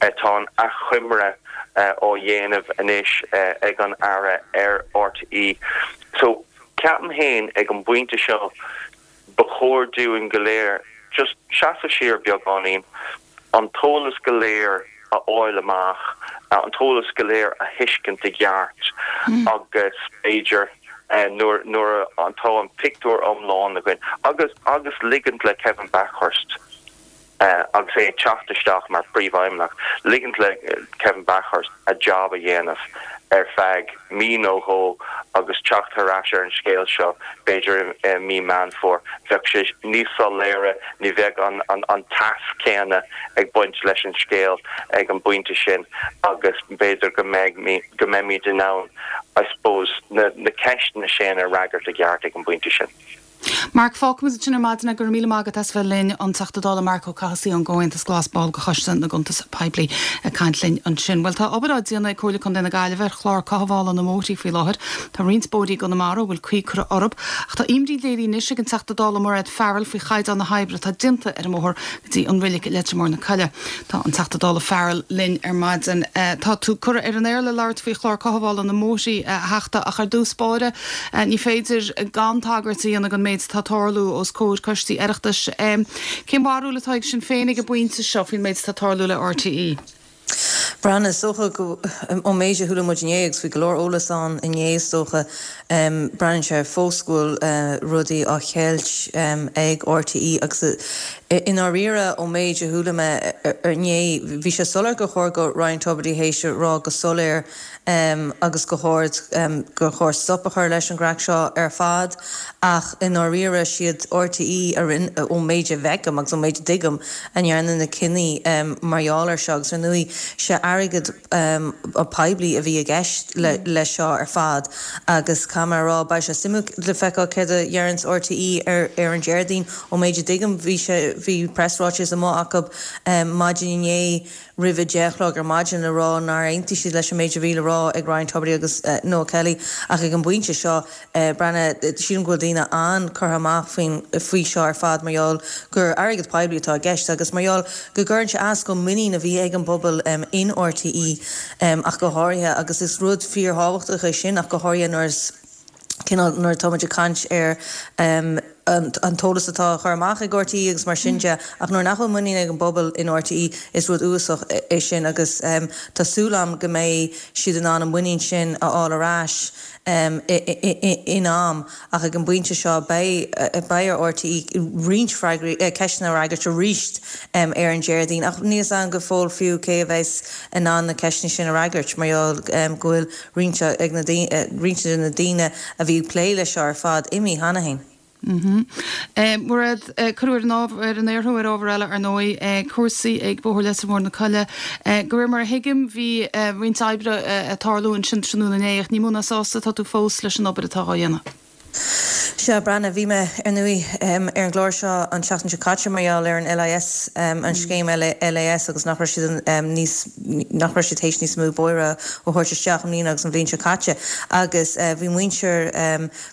Speaker 7: Tá an achoimre á dhéanamh anois ag an Aire ar RTÉ. So, ceapaim féin ag an bpointe seo ba chóir dúinn go léir just seasamh siar beagáinín, an t-eolas go léir a fháil amach, an t-eolas go léir a thuiscint i gceart agus b'fhéidir nuair nuair atá an pictiúr iomlán againn agus agus ligint le Kevin Bakhurst agus é ag teacht isteach mar phríomhfheidhmeannach, ligint le Kevin Bakhurst a job a dhéanamh ar feadh mí nó dhó agus teacht thar ais ar an scéal seo b'fhéidir i mí Meán Fómhair. Bheadh sé níos soiléire, ní bheadh an teas céanna ag baint leis an scéal ag an bpointe sin agus b'fhéidir go mbeidh, go mbeimid in ann I suppose na ceisteanna sin a fhreagairt i gceart ag an bpointe sin.
Speaker 1: Marc, Fágfaimid ansin ar maidin é. Go raibh míle maith agat as bheith linn. An Teachta Dála Marc Ó Cathasaigh ón gComhaontas Glas, ball de Choiste na gCuntas Poiblí ag caint linn ansin. Bhuel, tá obair á déanamh ag Comhairle Contae na Gaillimhe ar chlár cothabhála na mbóithrí faoi láthair. Tá roinnt bóithrí i gConamara a bhfuil caoi curtha orthu. Ach tá imní léirithe anois ag an Teachta Dála Mairéad Farrell faoi chaighdeán na hoibre atá déanta ar an mbóthar go dtí an Reilig i Leitir Móir na Coille. Tá an Teachta Dála Farrell linn ar maidin. Tá tú curtha ar an aer le labhairt faoi chlár cothabhála na mbóithrí, a Theachta, ach ar dtús báire, ní féidir gan tagairt a dhéanamh don méid atá ag tarlú os comhair coistí Oireachtais. Cén bharúil atá ag Sinn Féin ag an bpointe seo faoin méid atá ag tarlú le RTÉ?
Speaker 8: Breandán, is dócha go, ón méid a chuala muid inné, agus bhí go leor eolas ann inné is dócha, breathnaíonn sé fós go bhfuil rudaí á cheilt ag RTÉ agus i ndáiríre ón méid a chuala mé inné, bhí sé soiléir gur chóir go Ryan Tubridy théis a rá go soiléir agus go hard gur chóir stop a chur leis an gcraic seo ar fad ach i ndáiríre siad RTÉ a rinne, ón méid a bhfeicim agus ón méid a dtuigim, a ndearna na cinní mar gheall air seo agus ar ndóigh sé airgead poiblí a bhí i gceist leis seo ar fad agus caithfidh mé a rá beidh sé suimiúil le feiceáil céard a dheireanns RTÉ ar an Déardaoin. Ón méid a dtuigim bhí sé, bhí preasráiteas amuigh acu maidin inné roimh a 10 a chlog ar maidin le rá nár aontaigh siad leis an méid a bhí le rá ag Ryan Tubridy agus Noel Kelly ach ag an bpointe seo, Breandán, sílim go bhfuil daoine an-curtha amach faoin faoi seo ar fad mar gheall gur airgead poiblí atá i gceist agus mar gheall go gcuireann sé as don muinín a bhí ag an bpobal in RTÉ ach go háirithe agus is rud fíorthábhachtach é sin ach go háirithe nuair is cineál nuair atá muid ag caint ar an t-eolas atá á chur amach ag RTÉ agus mar sin de, ach nuair nach bhfuil muinín ag an bpobal in RTÉ is rud uafásach é sin agus tá súil agam go mbeidh siad in ann an muinín sin a fháil ar ais in am ach ag an bpointe seo beidh beidh ar RTÉ roinnt freagraí, ceisteanna a fhreagairt arís ar an Déardaoin ach níl a fhios agam go fóill fiú cé a bheas in ann na ceisteanna sin a fhreagairt mar gheall go bhfuil roinnt ag na roinnt de na daoine a bhí ag plé leis seo ar fad imithe cheana féin.
Speaker 1: Mairéad, cuireadh ar an ábhar, ar an aer thú ar ábhar eile ar ndóigh, cúrsaí ag Bóthar Leitir Móir na Coille. De réir mar a thuigim bhí roinnt oibre ag tarlú ansin tráthnóna inné ach ní mó ná sásta atá tú fós leis an obair atá á dhéanamh.
Speaker 8: Sea, a Bhreandáin, bhí mé, ar ndóigh, ar an gclár seo an tseachtain seo caite mar gheall ar an LIS, an scéim LIS agus nach raibh siad níos, nach raibh siad théis níos mó bóithre a thabhairt isteach i mbliana agus an bhliain seo caite. Agus bhí muintir,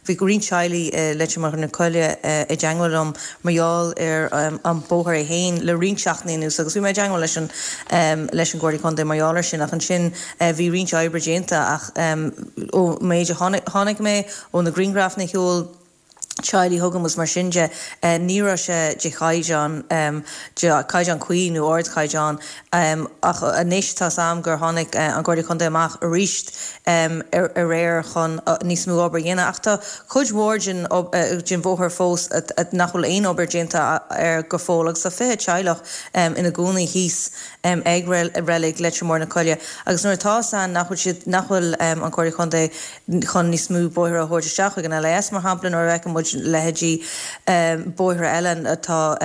Speaker 8: bhí roinnt teaghlaigh i Leitir Móir na Coille i dteangmháil liom mar gheall ar an bóthar é féin le roinnt seachtainí anuas agus bhí mé i dteangmháil leis an, leis an gComhairle Contae mar gheall air sin ach ansin Bhí roinnt oibre déanta ach ón méid a chonaic mé, ó na grianghrafanna a sheol teaghlaigh chugam agus mar sin de, ní raibh sé de chaighdeán, de chaighdeán cuí nó ardchaighdeán. Ach anois tá's a'm gur tháinig an Comhairle Contae amach arís aréir chun níos mó obair a dhéanamh. Ach tá cuid mhór den den bhóthar fós nach bhfuil aon obair déanta air go fóill agus tá 20 teaghlach ina gcónaí thíos ag reilig Leitir Móir na Coille agus nuair atá 's ann nach bhfuil siad, nach bhfuil an Comhairle Contae chun níos mó bóithre a thabhairt isteach chuig an LIS mar shampla nuair a fheiceann muid. muid leithéidí bóithre eile atá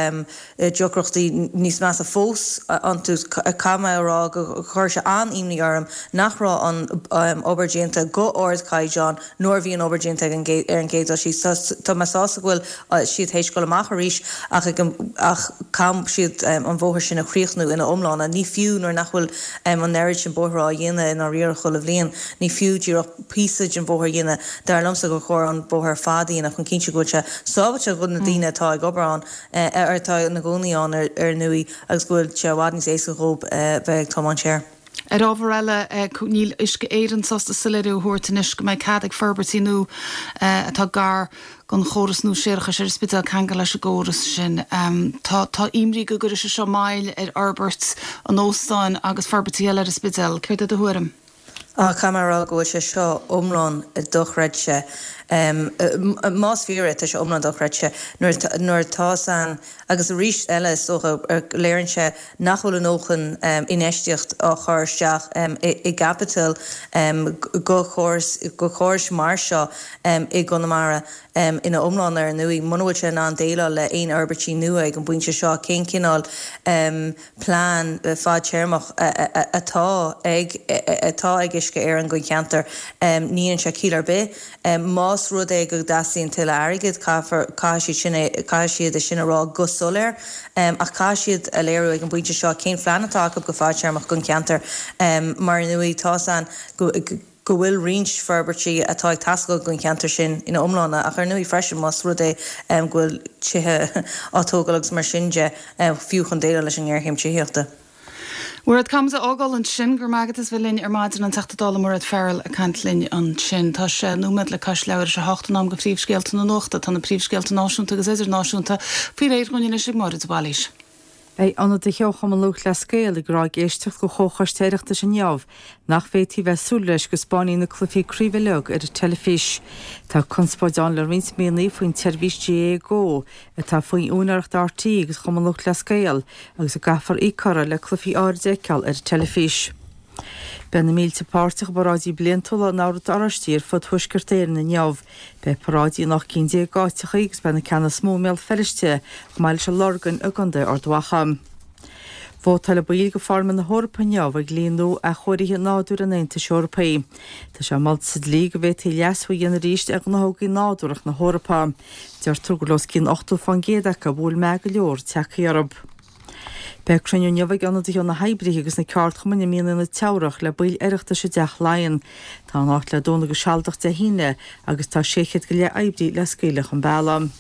Speaker 8: deacrachtaí níos measa fós iontu. Caithfidh mé a rá gur chuir sé an-imní orm nach raibh an obair déanta go ardchaighdeán nuair a bhí an obair déanta ar an gcéad dul síos. Tá mé sásta go bhfuil siad théis dul amach arís ach ag an ach caithfidh siad an bóthar sin a chríochnú ina iomláine. Ní fiú nuair nach bhfuil an oiread sin bóithre á dhéanamh i ndáiríre chuile bhliain, ní fiú díreach píosa den bhóthar a dhéanamh. Dar liomsa gur chóir an bóthar ar fad a dhéanamh chun cinntiú go bhfuil sé sábháilte do na daoine atá ag obair ann. atá ina gcónaí ann ar ndóigh agus go bhfuil sé i bhfad níos éasca dhóibh bheith ag tiomáint air.
Speaker 1: Ar ábhar eile, níl Uisce Éireann sásta soiléiriú a thabhairt anois go mbeidh cead ag forbairtí nua atá gar don chóras nua séarachais ar an Spidéal ceangal leis an gcóras sin. Tá tá imní go gcuirfidh sé seo moill ar fhorbairt an óstáin agus forbairtí eile ar an Spidéal. Céard é do thuairim?
Speaker 8: Ach caithfidh mé a rá go bhfuil sé seo iomlán dochreidte. Más fíor é, tá sé iomlán dochreidte. Nuair nuair atá san, agus arís eile is dócha, léiríonn sé nach bhfuil a ndóthain infheistíocht á chur isteach i gcaipiteal go chóras, go chórais mar seo i gConamara ina iomlán ar ndóigh. Muna bhfuil sé in ann déileáil le aon fhorbairtí nua ag an bpointe seo, cén cineál plean fadtéarmach atá ag atá ag Uisce Éireann don cheantar. Ní dhéanann sé ciall ar bith. Más rud é go dteastaíonn tuilleadh airgid, caithfear, caithfidh siad sin é, caithfidh siad é sin a rá go soiléir. Ach caithfidh siad a léiriú ag an bpointe seo cén phlean atá acu go fadtéarmach don cheantar. Mar ar ndóigh, tá's a'inn go. go bhfuil roinnt forbairtí atá ag teastáil don cheantar sin ina iomláine ach ar ndóigh freisin más rud é go bhfuil tithe á dtógáil agus mar sin de, fiú chun déileáil leis an ngéarchéim tithíochta.
Speaker 1: Mairéad, caithfimid a fhágáil ansin. Go raibh maith agat as bheith linn ar maidin, an Teachta Dála Mairéad Farrell ag caint linn ansin. Tá sé nóiméad le cois leathuair tar éis a hocht, in am do phríomhscéalta na nuachta. Tá na príomhscéalta náisiúnta agus idirnáisiúnta faoi réir dhúinn anois ag Máire de Bhailís.
Speaker 2: Beidh ionadaithe ó Chumann Lúthchleas Gael ag rá ag éisteacht do Chomhchoiste Oireachtais inniu nach bhféadfaí bheith súil leis go 'spáinfí na cluichí craoibhe uilig ar an teilifís. Tá conspóid ann le roinnt míonna faoin tseirbhís GAA Go atá faoi úinéireacht RTÉ agus Chumann Lúthchleas Gael agus a gcaithfear íoc orthu le cluichí áirid a fheiceáil ar an teilifís. Beidh na mílte páirteach i bparáidí bliantúla an Ord Oráistigh ar fud Thuaisceart Éireann inniu. Beidh paráidí in 18 cinn d'áiteachaí agus beidh na ceanna is mó i mBéal Feirste, chomh maith leis an Lorgain i gContae Ard Mhacha. Vótáil baill de Pharlaimint na hEorpa inniu ar dhlí nua athchóirithe nádúir an Aontais Eorpaigh. Tá sé molta sa dlí go bhféadfaí leasú a dhéanamh arís ar ghnáthógaí nádúrtha na hEorpa. Deirtear go bhfuil os cionn 80% acu a bhfuil meath go leor tagtha orthu. Beidh cruinniú inniu ag ionadaithe ó na hoibrithe agus na ceardchumainn i Mianaigh na Teamhrach le baill Oireachtais i dTeach Laighean. Tá an áit le dúnadh go sealadach Dé hAoine agus tá 600 go leith oibrí le scaoileadh chun bealaigh.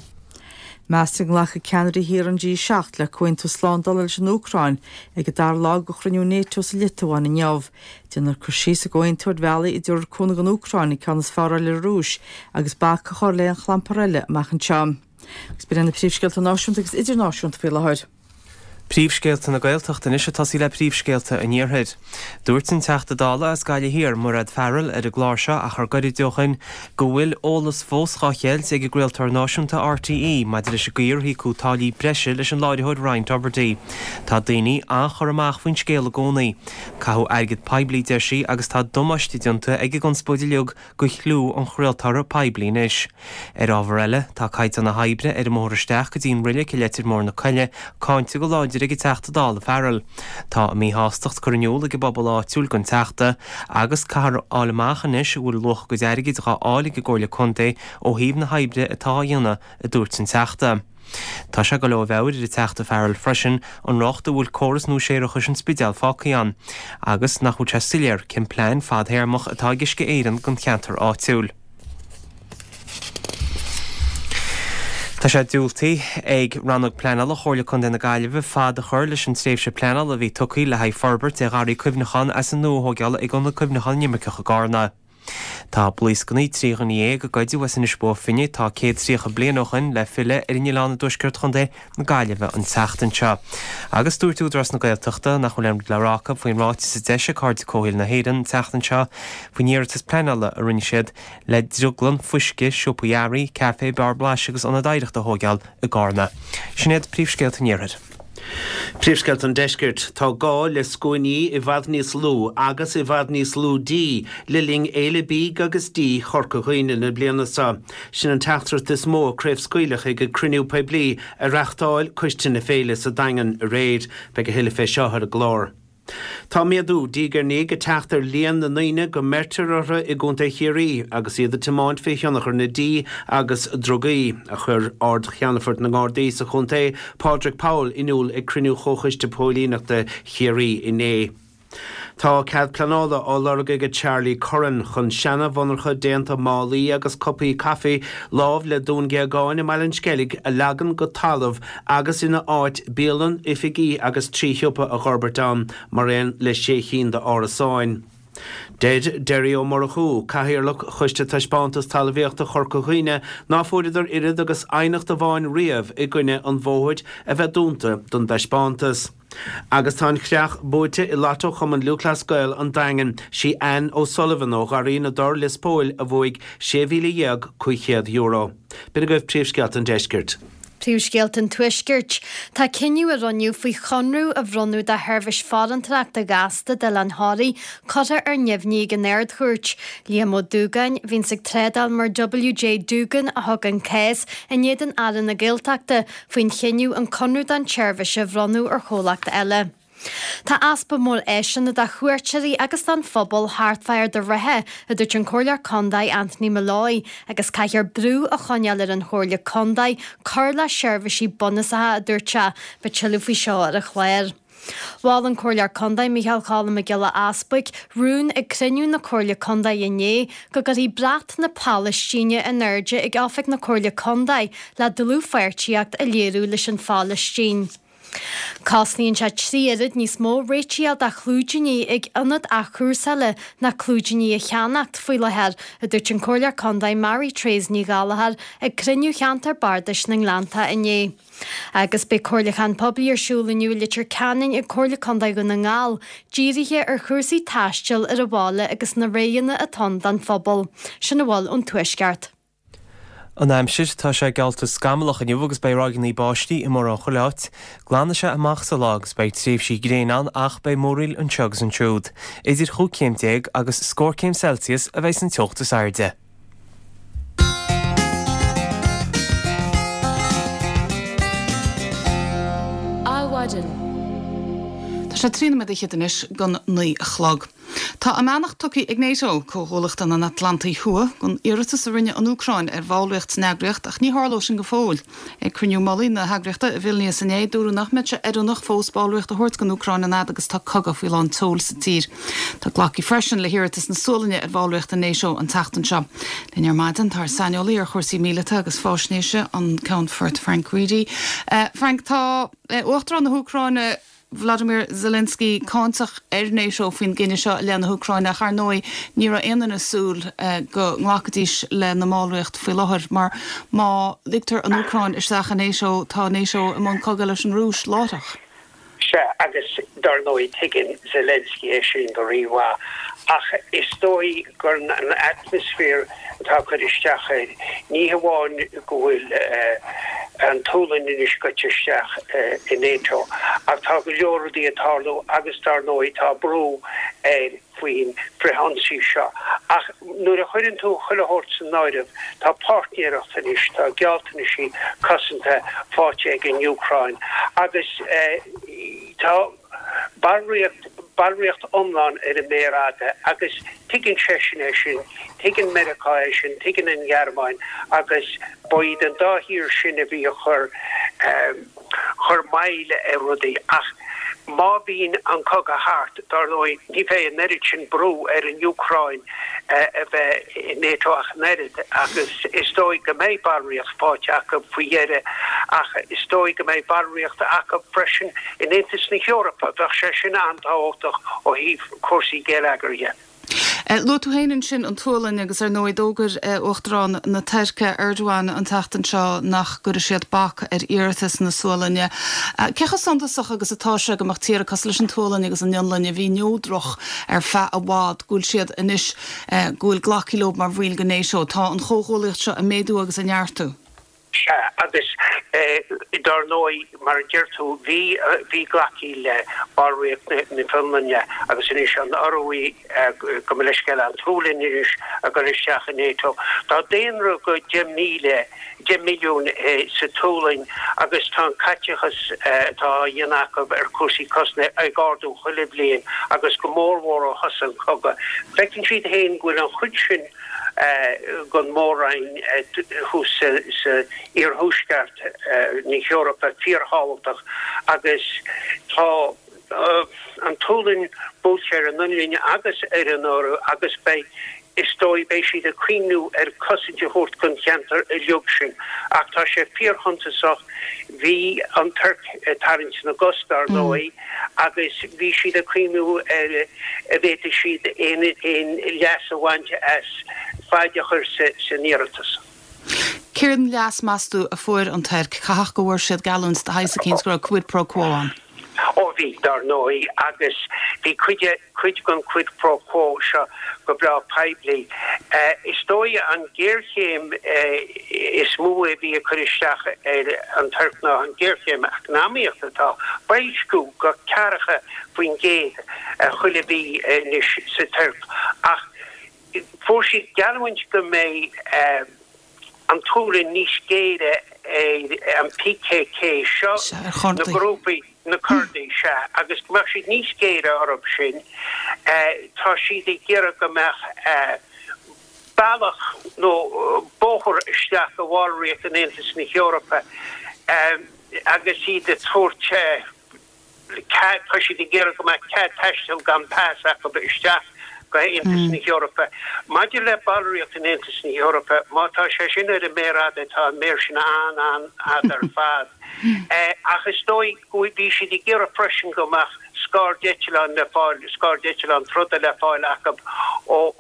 Speaker 2: Meastar go nglacfaidh ceannairí thíortha an G7 le comhaontú slándála leis an Úcráin ag an dara lá de chruinniú Nato sa Liotuáin inniu. Déanfar cur síos sa gcomhaontú ar bhealaí a dtabharfar cúnamh don Úcráin an ceann is fearr a fháil ar an Rúis agus bac a chur le haon chlampar eile amach anseo. Agus b'in iad na príomhscéalta náisiúnta agus idirnáisiúnta faoi láthair.
Speaker 3: Príomhscéalta na Gaeltachta anois ag tosaí le príomhscéalta an Iarthair. Dúirt an Teachta Dála as Gaillimh Thiar, Mairéad Farrell, ar an gclár seo achar gairid ó shin go bhfuil eolas fós dhá cheilt ag an gcraoltóir náisiúnta RTÉ maidir leis an gcaoi ar híocadh táillí breise leis an láithreoir Ryan Tubridy. Tá daoine an-churtha amach faoin scéal i gcónaí. Caitheadh airgead poiblí, deir sí, agus tá damáiste déanta ag an gconspóid uilig do chliú an chraoltóra poiblí anois. Ar ábhar eile, tá caighdeán na hoibre ar an mbóthar isteach go dtí an roilig i Leitir Móir na Coille cáinte go láidir ag an Teachta Dála Farrell. Tá a míshástacht curtha in iúl ag an bpobal áitiúil don Teachta agus caithfear a fháil amach anois an bhfuil luach a gcuid airgid dhá fháil ag an gComhairle Contae ó thaobh na hoibre atá á dhéanamh, a dúirt an Teachta. Tá sé ag dul ó mheabhair ar an Teachta Farrell freisin an riocht a bhfuil córas nua séarachais an Spidéil fágtha ann agus nach bhfuil sé soiléir cén plean fadthéarmach atá ag Uisce Éireann don cheantar áitiúil. Tá sé diúltaithe ag Rannóg Pleanála Chomhairle Contae na Gaillimhe fad a chur leis an tréimhse pleanála a bhí tugtha le haghaidh forbairt ar gharraí cuimhneacháin as an nua a thóigeáil ag Ionad Cuimhneacháin na nImirceach i gCarna. Tá blaoscanna 13 dhuine a goideadh as Inis Bó Finne atá 130 bliain ó shin le filleadh ar an oileán i dtuaisceart chontae na Gaillimhe an tseachtain seo. Agus dúirt Údarás na Gaeltachta nach bhfuil aon rud le rá acu faoin ráiteas a d'eisigh Cairde Comhshaoil na hÉireann an tseachtain seo faoin iarratas pleanála a rinne siad le drioglann fuisce, siopaí earraí, caife, beár blais agus ionad oidhreachta a thóigeáil i gCarna. Sin iad príomhscéalta an Iarthair.
Speaker 4: Príomhscéalta an Deiscirt, Tá gá le scuainí i bhfad níos lú agus i bhfad níos lú dí le linn Fhéile Bídh agus Dí Chorca Dhuibhne na bliana seo. Sin an teachtaireacht is mó a craobhscaoileadh ag an cruinniú poiblí a reachtáil Coiste na Féile sa Daingean aréir. Beidh a thuilleadh fé seo ar an gclár. Tá méadú diaidh ar ndiaidh ag teacht ar líon na ndaoine go mbeirtear orthu i gContae Chiarraí agus iad ag tiomáint faoi thionchar na dí agus drugaí, a chuir Ard-Cheannfort na nGardaí sa chontae, Pádraig Powell, in iúl ag cruinniú Chomhchoiste Póilíneachta Chiarraí inné. Tá cead pleanála á lorg ag Charlie Curran chun seana-mhonarcha déanta málaí agus cupaí caife lámh le Dún Géagáin i mBaile an Sceilg a leagan go talamh agus ina áit bialann, oifigí agus 3 shiopa a dh'fhorbairt ann mar aon le sé chinn d'árasáin. Deir Derry Ó Murchú, Cathaoirleach Choiste Taispeántas Talmhaíochta Chorca Dhuibhne ná fuaireadar oiread agus aighneacht amháin riamh i gcoinne an bhóthair a bheith dúnta don dtaispeántas. Agus tá an chreach buaite i Lotto Chumann Lúthchleas Gael an Daingin. Sí Anne O'Sullivan ó Gharraí na dTor, Lios Póil a bhuaigh €16,500. B'in agaibh príomhscéalta an deiscirt.
Speaker 5: Príomhscéalta an Tuaiscirt. Tá cinneadh a rinneadh faoi chonradh a bhronnadh do sheirbhís farantóireachta ghasta d'Oileán Thoraí curtha ar neamhní ag an Ard-Chúirt. Liam Ó Dúgáin, a bhíonns ag trádáil mar WJ Doogan a thug an cás in éadan Aire na Gaeltachta faoin chinneadh an conradh don tseirbhís a bhronnadh ar chomhlacht eile. Tá easpa mór áiseanna do chuairteoirí agus don phobal thart fá Ard an Rátha, a dúirt an Comhairleoir Condae Anthony Molloy, agus caithfear brú a choinneáil ar an Chomhairle Condae cur le seirbhísí bunúsacha, a dúirt sé. Beidh tuilleadh faoi seo ar an chlár. Mhol an Comhairleoir Condae Micheál Cholm Mac Giolla Easbuig rún ag cruinniú na Comhairle Condae inné go gcuirfí brat na Palaistíne in airde ag oifig na Comhairle Condae le dlúthpháirtíocht a léiriú leis an Phalaistín. Cosnaíonn sé 3 oiread níos mó réitigh a fháil do chlúidíní ag ionad athchúrsála ná clúidíní a cheannacht faoi láthair, a dúirt an Comhairleoir Condae Mary Therese Ní Ghallchóir ag cruinniú Cheantar Bardais na nGleannta inné. Agus beidh comhairliúchán poiblí ar siúl inniu i Leitir Ceanainn ag Comhairle Condae Dhún na nGall, dírithe ar chúrsaí taistil ar an bhaile agus na roghanna atá ann don phobal. Sin a bhfuil ón Tuaisceart.
Speaker 3: An aimsir, Tá sé geallta scamallach inniu agus beidh ráigeanna báistí i mórán chuile áit. Glanfaidh sé amach sa lá agus beidh tréimhsí gréine ann ach beidh múraíl anseo agus ansiúd. Idir chúig chéim déag agus scór céim Celsius a bheidh san teocht is airde.
Speaker 1: Adhmhaidin. Tá sé 13 nóiméad fhichead anois don 9 a chlog. Tá a mbeannacht tugtha ag NATO, Comhghuallaíocht an Atlantaigh Thuaidh, don iarratas a rinne an Úcráin ar bhallraíocht san eagraíocht ach ní tharlóidh sin go fóill. Ag cruinniú mullaigh na heagraíochta i Vilnius inné, dúradh nach mbeadh sé oiriúnach fós ballraíocht a thabhairt don Úcráin an fhad agus tá cogadh faoi lán tseoil sa tír. Tá glactha freisin le hiarratas na Sualainne ar bhallraíocht i NATO an tseachtain seo. Linn ar maidin tá ár saineolaí ar chúrsaí míleata agus faisnéise, an Ceannfort Frank Reidy. Frank, tá Uachtarán na hÚcráine, Vladimir Zelensky cáinteach ar NATO faoin gcinneadh seo i leith na hÚcráine ach ar ndóigh ní raibh aon duine ag súil go nglacfaidís lena mballraíocht faoi láthair mar má ligtear an Úcráin isteach i NATO tá NATO i mbun cogaidh leis an Rúis láithreach.
Speaker 9: Sea, agus dar ndóigh tuigeann Zelensky é sin go rímhaith ach is dóigh gur an atmaisféar atá ag cur isteach air, ní hamháin go bhfuil an tSualainn anois gaibhte isteach i NATO, ach tá go leor rudaí ag tarlú agus dar ndóigh tá brú air faoin bhfrithionsaí seo. Ach nuair a chuireann tú chuile shórt san áireamh, tá páirtnéireacht anois, tá gealltanaisí cosanta faighte ag an Úcráin agus tá. Ballraíocht, ballraíocht iomlán ar an méar fhada agus tuigeann seisean é sin, tuigeann Meiriceá é sin, tuigeann an Ghearmáin agus ba iad an dá thír sin a bhí ag cur, chur moill ar rudaí. Ach má bhíonn an cogadh thart, dar ndóigh, ní bheidh an oiread sin brú ar an Úcráin a bheith i NATO ach an oiread agus is dóigh go mbeidh ballraíocht faighte acu faoi dheireadh ach is dóigh go mbeidh ballraíocht acu freisin in Aontas na hEorpa. Bheadh sé sin an-tábhachtach ó thaobh cúrsaí geilleagair dhe.
Speaker 1: Luaigh tú féin ansin an tSualainn agus ar ndóigh d'fhógair Uachtarán na Tuirce, Erdogan, an tseachtain seo nach gcuirfidh siad bac ar iarratas na Sualainne. Cé chomh suntasach agus atá sé go mbeadh tíortha cosúil leis an tSualainn agus an Fhionlainn, a bhí neodrach ar feadh i bhfad, go bhfuil siad anois, go bhfuil glactha leo mar bhaill de NATO? Tá an chomhghuallaíocht seo ag méadú agus ag neartú.
Speaker 9: Sea, agus dár ndóigh, mar a deir tú, bhí, bhí glactha le ballraíocht na Fionlainne agus anois an Ioruaidh, gabh mo leithscéal, an tSualainn anois ag dul isteach i NATO. Tá daonra go 10,000, 10 milliún sa tSualainn agus tá an caiteachas atá á dhéanamh acu ar chúrsaí cosanta ag ardú chuile bhliain agus go mórmhór ó thosaigh an cogadh. Feiceann siad féin go bhfuil an chuid sin den mhór-roinn thuas sa iarthuaisceart na hEorpa fíorthábhachtach agus tá an tSualainn buailte ar an bhFionlainn agus ar an Iorua agus beidh, is dóigh, beidh siad ag cuimhniú ar cosaint a thabhairt don cheantar uilig sin. Ach tá sé fíorshuntasach, bhí an Tuirc ag tarraingt na gcos dar ndóigh agus bhí siad ag cuimhniú ar an bhféadfadh siad aon leas a bhaint as faid a chur san iarratas.
Speaker 1: Céard an leas, meas tú, a fuair an Tuirc? Caithfidh go bhfuair siad geallúint de shaghas eicínt go raibh quid pro quo ann.
Speaker 9: Ó bhí, dar ndóigh, agus bhí cuid de, cuid den quid pro quo seo go breá poiblí. Is dóigh an ghéarchéim is mó a bhí ag cur isteach ar an Tuirc ná an ghéarchéim eacnamaíochta atá, boilsciú go 40% chuile mhí anois sa Tuirc ach Fuair siad geallúint go mbeidh an tSualainn níos géire ar an PKK, seo na grúpaí, na Curdaigh, sea, agus go mbeadh siad níos géire orthu sin. Tá siad ag iarraidh go mbeadh bealach nó bóthar isteach go bhallraíocht in Aontas na hEorpa agus iad ag tabhairt cead, tá siad ag iarraidh go mbeadh cead taisteal gan pas acu isteach go hAontas na hEorpa. Maidir le ballraíocht in Aontas na hEorpa, má tá sé sin ar an méar fhada, tá an méar sin an-an-fhada ar fad. Ach is dóigh go bhí siad ag iarraidh freisin go mbeadh scairdeitleáin le fáil, scairdeitleáin troda le fáil acu ó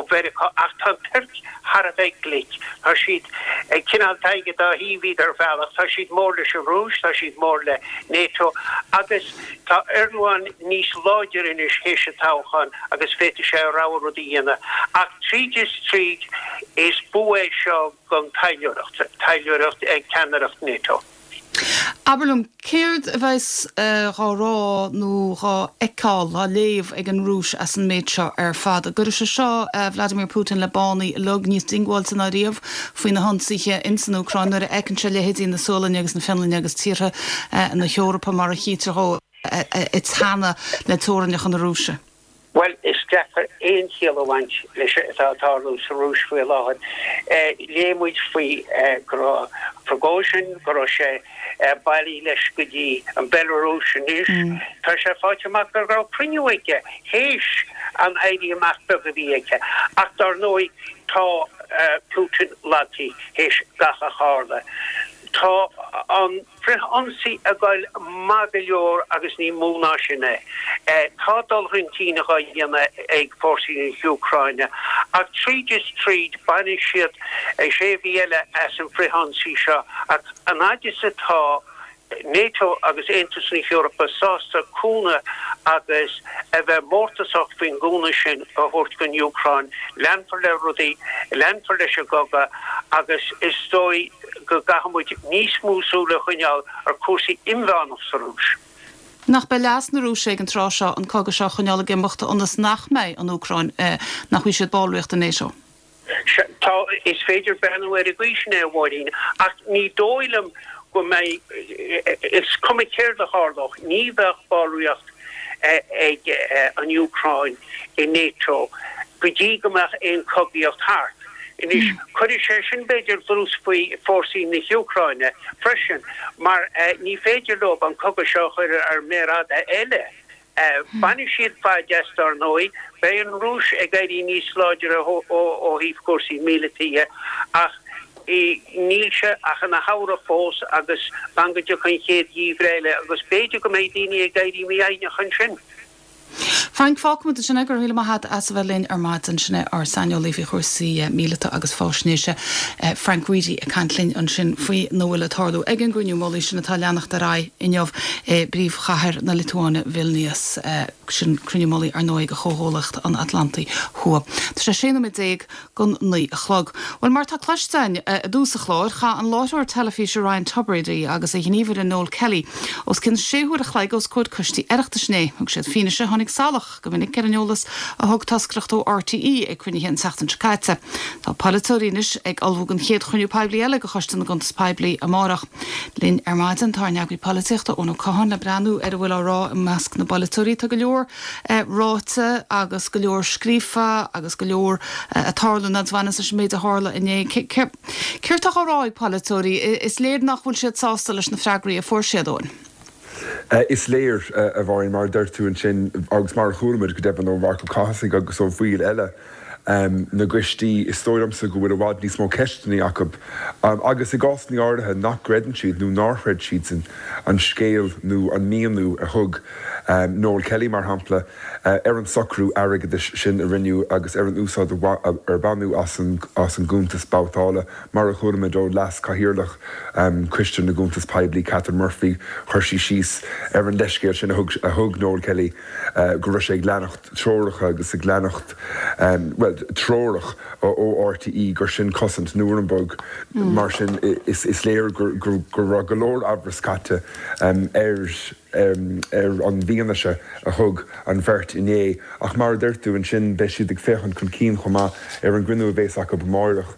Speaker 9: Mheiriceá. Ach tá an Tuirc thar a bheith glic. Tá siad ag cineál tadhg an dá thaobh iad ar bhealach. Tá siad mór leis an Rúis, tá siad mór le NATO agus tá Erdogan níos láidire anois théis an toghcháin agus féadfaidh sé a rogha rud a dhéanamh. Ach tríd is tríd is bua é seo don taidhleoireacht, taidhleoireacht ag ceannaireacht NATO.
Speaker 1: Abair liom, céard a bheas dhá rá nó dhá fheiceáil, dhá léamh ag an Rúis as an méid seo ar fad? An gcuirfidh sé seo Vladimir Putin le bánaí uilig níos diongbháilte ná riamh faoi na hionsaithe ins an Úcráin nuair a fheiceann sé leithéidí na Sualainne agus na Fionlainne agus tíortha na hEorpa mar a chítear dhó ag teannadh le teorainneacha na Rúise?
Speaker 9: Bhuel, is deacair aon chiall a bhaint leis atá ag tarlú sa Rúis faoi láthair. Léigh muid faoi go raibh Prigozhin, go raibh sé bailithe leis go dtí an Bhealarúis anois. Tá sé faighte amach go raibh cruinniú aige théis an éirí amach beag a bhí aige. Ach dar ndóigh tá Putin lagaithe théis gach a tharla. Tá an. Frith-ionsaí ag goil maith go leor agus ní mó ná sin é. Tá dul chun cinn dhá dhéanamh ag fórsaí na hÚcráine ach tríd is tríd bainfidh siad sé mhí eile as an frith-ionsaí seo ach an fhaid is atá NATO agus Aontas na hEorpa sásta cúnamh agus a bheith mórtasach faoin gcúnamh sin a thabhairt don Úcráin, leanfar le rudaí, leanfar leis an gcogadh agus is dóigh go gcaithfidh muid níos mó súil a choinneáil ar chúrsaí inmheánach sa Rúis.
Speaker 1: Nach b'é leas na Rúise ag an tráth seo an cogadh seo a choinneáil ag imeacht ionas nach mbeidh an Úcráin, nach bhfaighidh siad ballraíocht i NATO?
Speaker 9: Sea, tá, is féidir breathnú ar an gcaoi sin é, a Mháirín, ach ní dóigh liom go mbeidh, is cuma céard a tharlódh, ní bheadh ballraíocht ag an Úcráin i NATO go dtí go mbeadh aon chogaíocht thart. Anois, cuirfidh sé sin, b'fhéidir, dlús faoi fórsaí na hÚcráine freisin, mar ní féidir leo an cogadh seo a chur ar méar fhada eile. Bainfidh siad faid as, dar ndóigh. Beidh an Rúis ag éirí níos láidre ó thaobh cúrsaí míleata dhe, ach níl sé ach ina shamhradh fós agus fan go dtiocfaidh an chéad gheimhreadh eile agus b'fhéidir go mbeidh daoine ag éirí mífhoighneach ansin.
Speaker 1: Frank, fágfaimid ansin é, go raibh míle maith agat as a bheith linn ar maidin. Sin é ár saineolaí faoi chúrsaí míleata agus faisnéise, Frank Reidy ag caint linn ansin faoina bhfuil ag tarlú ag an gcruinniú mullaigh sin atá ag leanacht ar aghaidh inniu i bpríomhchathair na Liotuáine, Vilnius. Sin cruinniú mullaigh, ar ndóigh, de Chomhghuallaíocht an Atlantaigh Thuaidh. Tá sé 16 nóiméad gon 9 a chlog. Bhuel, mar atá cloiste againn i dtús an chláir, chaith an láithreoir teilifíse Ryan Tubridy agus a ghníomhaire Noel Kelly os cionn sé huaire a chloig os comhair coistí Oireachtais inné. Thug siad fianaise a tháinig salach go minic ar an eolas a thug toscaireacht ó RTÉ ag cruinnithe an tseachtain seo caite. Tá polaiteoirí anois ag ullmhú don chéad chruinniú poiblí eile de Choiste na gCuntas Poiblí amárach. Linn ar maidin tá ár n-eagraí polaitíochta, Eoin Ó Catháin, le breathnú ar a bhfuil á rá i measc na bpolaiteoirí. Tá go leor ráite agus go leor scríofa agus go leor ag tarlú a bhaineanns leis an méid a tharla inné. Céard atá á rá ag polaiteoirí? Is léir nach bhfuil siad sásta leis na freagraí a fuair siad, Eoin.
Speaker 10: Is léir, a Mháirín, mar a deir tú ansin, agus mar a chuala muid go deimhin ó Mharc Ó Cathasaigh agus ó bhaill eile na gcoistí, is dóigh liomsa go bhfuil i bhfad níos mó ceisteanna acu agus i gcásanna áirithe nach gcreideann siad nó nár chreid siadsan an scéal nó an míniú a thug Noel Kelly, mar shampla, ar an socrú airgeadais sin a rinneadh agus ar an úsáid ar baineadh as an gcuntas babhtála. Mar a chuala muid ó Leas-Chathaoirleach Choiste na gCuntas Poiblí, Catherine Murphy, chuir sí síos ar an leithscéal sin a thug Noel Kelly go raibh sé ag leanacht treoracha agus ag leanacht, bhuel, treorach ó RTÉ gur sin cosaint Nuremberg. Mar sin, is léir go raibh go leor amhras caite ar ar an bhfianaise a thug an bheirt inné. Ach mar a deir tú ansin, beidh siad ag féachaint chun cinn chomh maith ar an gcruinniú a bhéas acu amáireach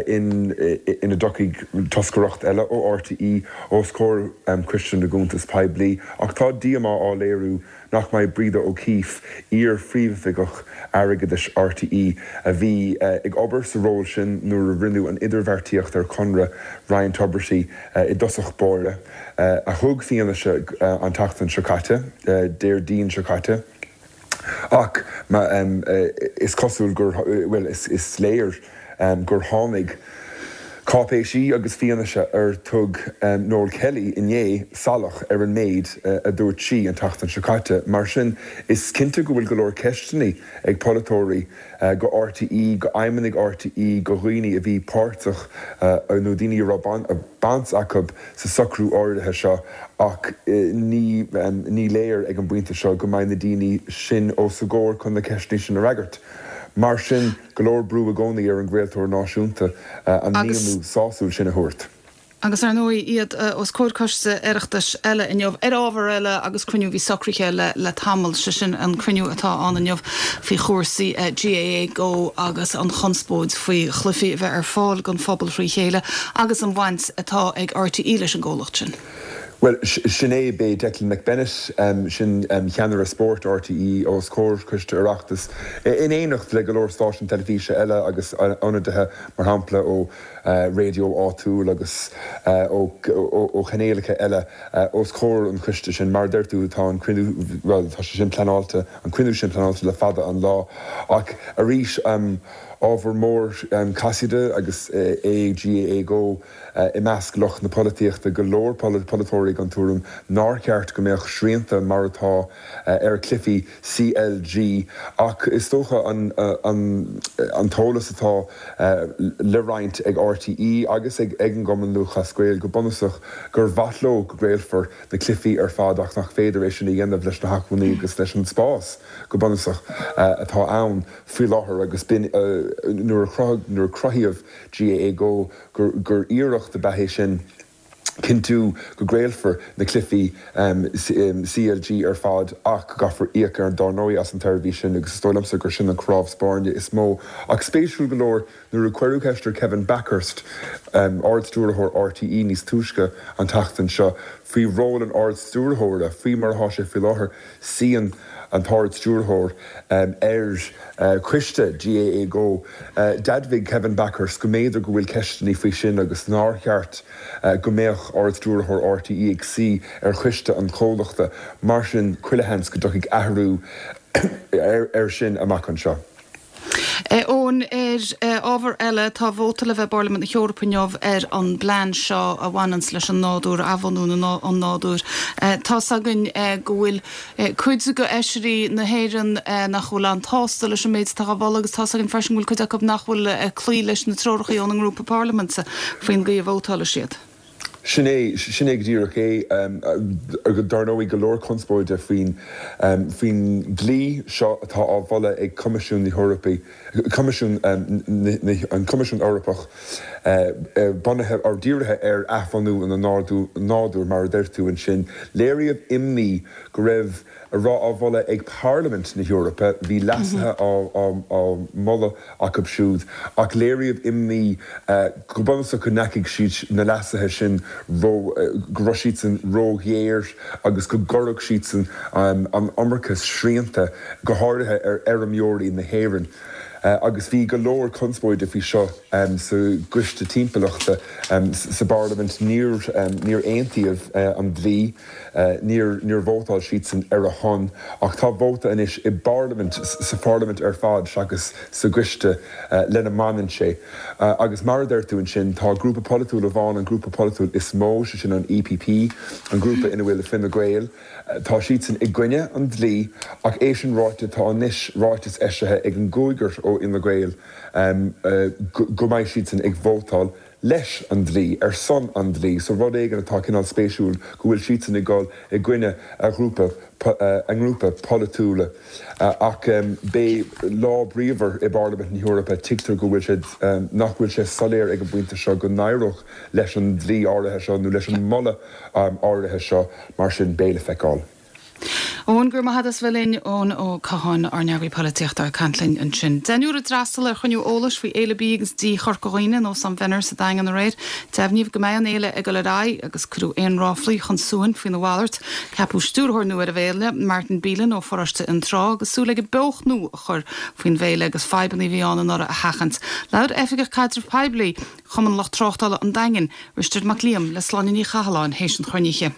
Speaker 10: ina dtiocfaidh toscaireacht eile ó RTÉ os comhair Choiste na gCuntas Poiblí. Ach tá díomá á léiriú nach mbeidh Breda O'Keeffe, iar-phríomhoifigeach airgeadais RTÉ, a bhí ag obair sa ról sin nuair a rinneadh an idirbheartaíocht ar chonradh Ryan Tubridy i dtosach báire, a thug fianaise an tseachtain seo caite, Déardaoin seo caite. Ach is cosúil gur, bhuel, is léir gur tháinig cáipéisí agus fianaise ar thug Noel Kelly inné salach ar an méid a dúirt sí an tseachtain seo caite. Mar sin, is cinnte go bhfuil go leor ceisteanna ag polaiteoirí go RTÉ, go fheidhmeannaigh RTÉ, go dhaoine a bhí páirteach nó daoine a raibh baint acu sa socrú áirithe seo ach ní ní léir ag an bpointe seo go mbeidh na daoine sin os a gcomhair chun na ceisteanna sin a fhreagairt. Mar sin, go leor brú i gcónaí ar an gcraoltóir náisiúnta an míniú sásúil sin a thabhairt.
Speaker 1: Agus ar ndóigh iad os comhair coiste Oireachtais eile inniu ar ábhar eile agus cruinniú a bhí socraithe le le tamall, sé sin an cruinniú atá ann inniu faoi chúrsaí GAA Go agus an chonspóid faoi chluichí a bheith ar fáil don phobal thrí chéile agus an bhaint atá ag RTÉ leis an gcomhlacht sin.
Speaker 10: Bhuel, sin é, beidh Declan McBennett, sin ceannaire spóirt RTÉ, os comhair Coiste Oireachtais, in éineacht le go leor stáisiún teilifíse eile agus ionadaithe, mar shampla, ó raidió áitiúil agus ó chainéalacha eile, os comhair an choiste sin. Mar a deir tú, tá an cruinniú, bhuel, tá sé sin pleanáilte, an cruinniú sin pleanáilte le fada an lá. Ach arís, ábhar mór casaoide agus é GAA Go i measc lucht na polaitíochta, go leor polaiteoirí den tuairim nár cheart go mbeadh srianta mar atá ar chluichí CLG ach is dócha an t-eolas atá le roinnt ag RTÉ agus ag an gCumann Lúthchleas Gael go bunúsach gur mhaith leo go gcraolfar na cluichí ar fad ach nach féidir é sin a dhéanamh leis na hacmhainní agus leis an spás go bunúsach atá ann faoi láthair agus b'in nuair a cruthaíodh GAA Go gur iarracht ab ea é sin cinntiú go gcraolfar na cluichí CLG ar fad ach go gcaithfear íoc ar dár ndóigh as an tseirbhís sin agus is dóigh liomsa gur sin an cnámh spairne is mó. Ach spéisiúil go leor nuair a cuireadh ceist ar Kevin Bakhurst, Ard-Stiúrthóir RTÉ níos túisce an tseachtain seo faoi ról an Ard-Stiúrthóra faoi mar atá sé faoi láthair, Suíonn an tArd-Stiúrthóir ar choiste GAA Go. D'admhaigh Kevin Bakhurst go mb'fhéidir go bhfuil ceisteanna faoi sin agus nár cheart go mbeadh Ard-Stiúrthóir RTÉ ag suí ar choiste an chomhlachta. Mar sin, chuile sheans go dtiocfaidh athrú air sin amach anseo.
Speaker 1: Eoin, ar ábhar eile, tá vóta le bheith i bParlaimint na hEorpa inniu ar an bplean seo a bhaineanns leis an nádúr, athbhunú an nádúir. Tá's againn go bhfuil cuid de fheisirí na hÉireann nach bhfuil an-tsásta leis an méid atá á mholadh agus tá's againn freisin go bhfuil cuid acu nach bhfuil ag cloí leis na treoracha óna ngrúpa parlaiminte faoin gcaoi a vótálfaidh siad.
Speaker 10: Sin é, sin é go díreach é. Dar ndóigh, go leor conspóide faoin, faoin dlí seo atá á mholadh ag Coimisiún na hEorpaí, Coimisiún na, an Coimisiún Eorpach, bunaithe, or dírithe ar athbhunú an nádúir, mar a deir tú ansin. Léiríodh imní go raibh a raibh á mholadh ag Parlaimint na hEorpa, bhí leasuithe á moladh acu siúd, ach léiríodh imní go bunúsach go ndeachaigh siad, na leasuithe sin, ró, go raibh siadsan róghéar agus go gcuirfeadh siadsan an iomarca srianta, go háirithe ar fheirmeoirí na hÉireann. Agus bhí go leor conspóide faoi seo sa gCoiste Timpeallachta sa bParlaimint. Níor, níor aontaíodh an dlí. Níor, níor vótáil siadsan ar a shon, ach tá vóta anois i bParlaimint, sa Pharlaimint ar fad seachas sa gcoiste lena mbaineann sé. Agus mar a deir tú ansin, tá grúpa polaitiúil amháin, an grúpa polaitiúil is mó, sé sin an EPP, an grúpa ina bhfuil Fine Gael, tá siadsan i gcoinne an dlí, ach é sin ráite, tá anois ráiteas eisithe ag an gcúigear ó Fhine Gael go mbeidh siadsan ag vótáil leis an dlí, ar son an dlí, so rud éigin atá cineál spéisiúil go bhfuil siadsan ag dul i gcoinne a ghrúpa, a ngrúpa polaitiúla. Ach beidh lá bríomhar i bParlaimint na hEorpa, tuigtear go bhfuil sé, nach bhfuil sé soiléir ag an bpointe seo go n-éireodh leis an dlí áirithe seo nó leis an moladh áirithe seo, mar sin beidh le feiceáil.
Speaker 1: Eoin, go raibh maith agat as bheith linn. Eoin Ó Catháin, ár n-eagraí polaitíochta, ag caint linn ansin. Deichniúr a d'fhreastail ar chruinniú eolais faoi Fhéile Bídh agus Dí Chorca Dhuibhne in Óstán Mhenner sa Daingean aréir. Deimhníodh go mbeidh an fhéile ag dul ar aghaidh agus cuireadh aon ráflaí chun suain faoina mhalairt. Ceapadh stiúrthóir nua ar an bhféile, Martin Beelan ó pharóiste Fhionntrá, agus súil aige beocht nua a chur faoin bhféile agus fadhbanna a bhí ann anuraidh a sheachaint. Labhair Oifigeach Caidrimh Poiblí Chumann Lucht Tráchtála an Daingin, Risteard Mac Liam, le Sláine Ní Chathalláin théis an chruinnithe.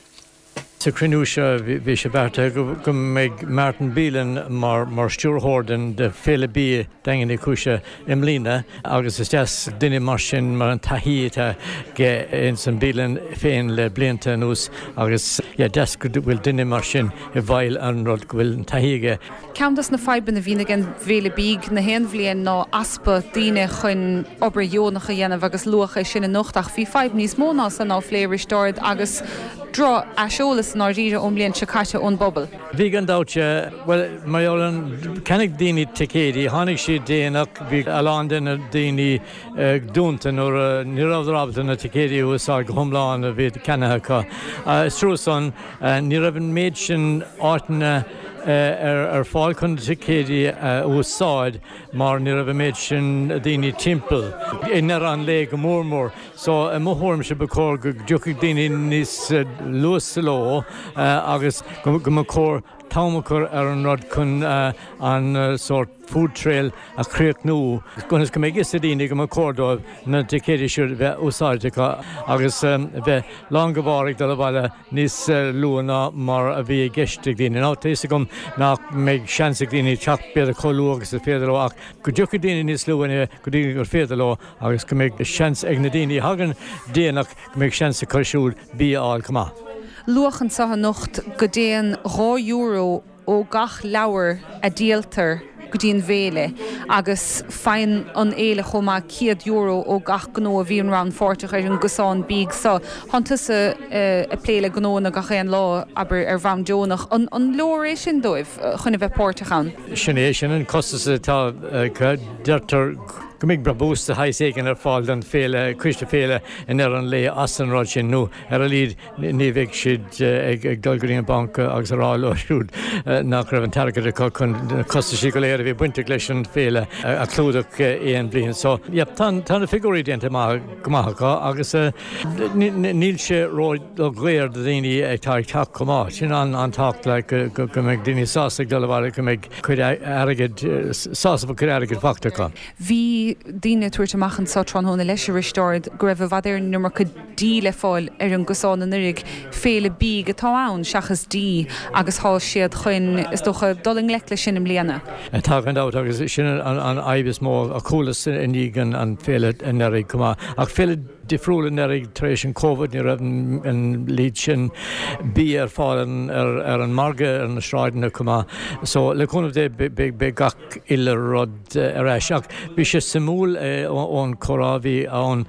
Speaker 11: Sa chruinniú seo bhí sé beartaithe go mbeidh Martin Beelan mar stiúrthóir den Féile Bídh Daingean Uí Chúise i mbliana agus is deas duine mar sin mar an taithí atá aige ins an bialann féin le blianta anuas agus yeah deas go bhfuil duine mar sin i bhfeighil an rud go bhfuil an taithí aige.
Speaker 12: Ceann dos na fadhbanna a bhíonn ag an bhFéile Bídh na haon bhliain ná easpa daoine chun obair dheonach a dhéanamh agus luadh é sin anocht ach bhí fadhb níos mó ná san á phlé Risteárd agus droch-aiseolas i ndáiríre ón mbliain seo caite ón bpobal.
Speaker 11: Bhí gan dabht, bhuel mar gheall ar an, cheannaigh daoine ticéidí, tháinig siad déanach, bhí a lán de na daoine dúnta nuair a, ní rabhadar ábalta na ticéidí a úsáid go hiomlán a bhí ceannaithe acu. Is trua san. Ní raibh an méid sin áiteanna ar fáil chun na ticéidí a úsáid mar ní raibh an méid sin daoine timpeall, i ndeireadh an lae go mór mór. So, i mo thuairimse, ba chóir go dtiocfadh daoine níos luath sa ló agus go mba chóir t-am a chur ar an rud chun an sórt food trail a chríochnú ionas go mbeidh fhios ag daoine go mba chóir dóibh na ticéidí seo a bheith úsáidte acu agus bheith lán go barr ag dul abhaile níos luath ná mar a bhí i gceist ag daoine. Now tá fhios agam nach mbeidh seans ag daoine teacht b'fhéidir chomh luath agus is féidir leo ach go dtiocfaidh daoine níos luath go dtí gur féidir leo agus go mbeidh seans ag na daoine a thagann déanach go mbeidh seans acu siúd bia a fháil chomh maith.
Speaker 12: Luadh anseo anocht go dtéann €2 ó gach leabhar a díoltar go dtí an bhféile agus faigheann an fhéile chomh maith €100 ó gach gnó a bhíonn rannpháirteach ar an gcosán bídh seo. Tánn tusa ag plé le gnóanna gach aon lá, abair, ar bhonn deonach. An leor é sin dóibh chun a bheith páirteach ann?
Speaker 11: Sin é, sin an costas atá acu. Deirtear go mbeidh brabús de shaghas éigin ar fáil don féile, coiste féile i ndeireadh an lae as an rud sin nó ar a laghad Ní bheidh siad ag dul go dtí an banc agus a rá leo siúd nach raibh an t-airgead acu chun na costaisí go léir a bhí bainteach leis an bhféile a chlúdach aon bhliain. So, yeah, tá na figiúirí déanta go maith acu agus níl sé ró-dhaor do dhaoine atá ag teacht chomh maith. Sin an-tábhachtach like go mbeidh daoine sásta ag dul abhaile, go mbeidh cuid airgid, sásamh cuid airgid faighte acu.
Speaker 12: Bhí. Bhí daoine ag tabhairt amach anso tráthnóna leis, a Risteaird, go raibh i bhfad Éireann an iomarca dí le fáil ar an gcosán anuraidh. Féile bídh atá ann seachas dí agus thá siad chun, is dócha, dul i ngleic leis sin i mbliana.
Speaker 11: Tá gan dabht agus sin an fhadhb is mó a chualas i ndiaidh an féile anuraidh chomh maith. Ach féile difriúil anuraidh tar éis an Covid ní raibh an líon sin bia ar fáil ar an margadh ar na sráideanna chomh maith. So le cúnamh Dé beidh gach uile rud ar ais. Ach bhí sé suimiúil ón chomhrá a bhí ann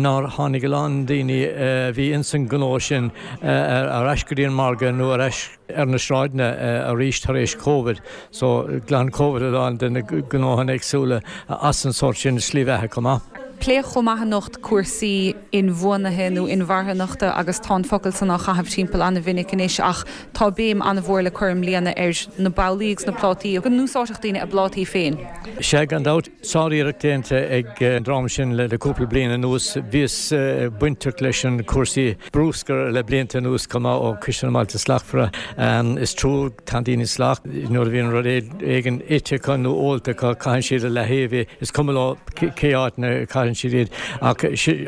Speaker 11: nár tháinig a lán daoine a bhí ins an ghnó sin ar ais go dtí an margadh nó ar ais ar na sráideanna arís tar éis Covid. So, ghlan Covid a lán de na gnóthanna éagsúla as an sórt sin slí bheatha chomh maith.
Speaker 12: Pléadh chomh maith anocht cúrsaí inbhuanaithe nó inmharthanachta agus tá an focal san á chaitheamh timpeall an-mhinic anois ach tá béim an-mhór le cur i mbliana ar na babhlaí agus na plátaí, go n-úsáidfeadh daoine a bplátaí féin.
Speaker 11: Sea, gan dabht. Sár-iarracht déanta ag an dream sin le cúpla bliain anuas. Bhíos bainteach leis an cúrsaí brúscair le blianta anuas chomh maith ó Coiste na mBailte Slachtmhara. Is trua, tá daoine salach nuair a bhíonn rud éigin ite acu nó ólta acu, caitheann siad i leataobh é, is cuma leo cé áit ina gcaitheann siad iad. Ach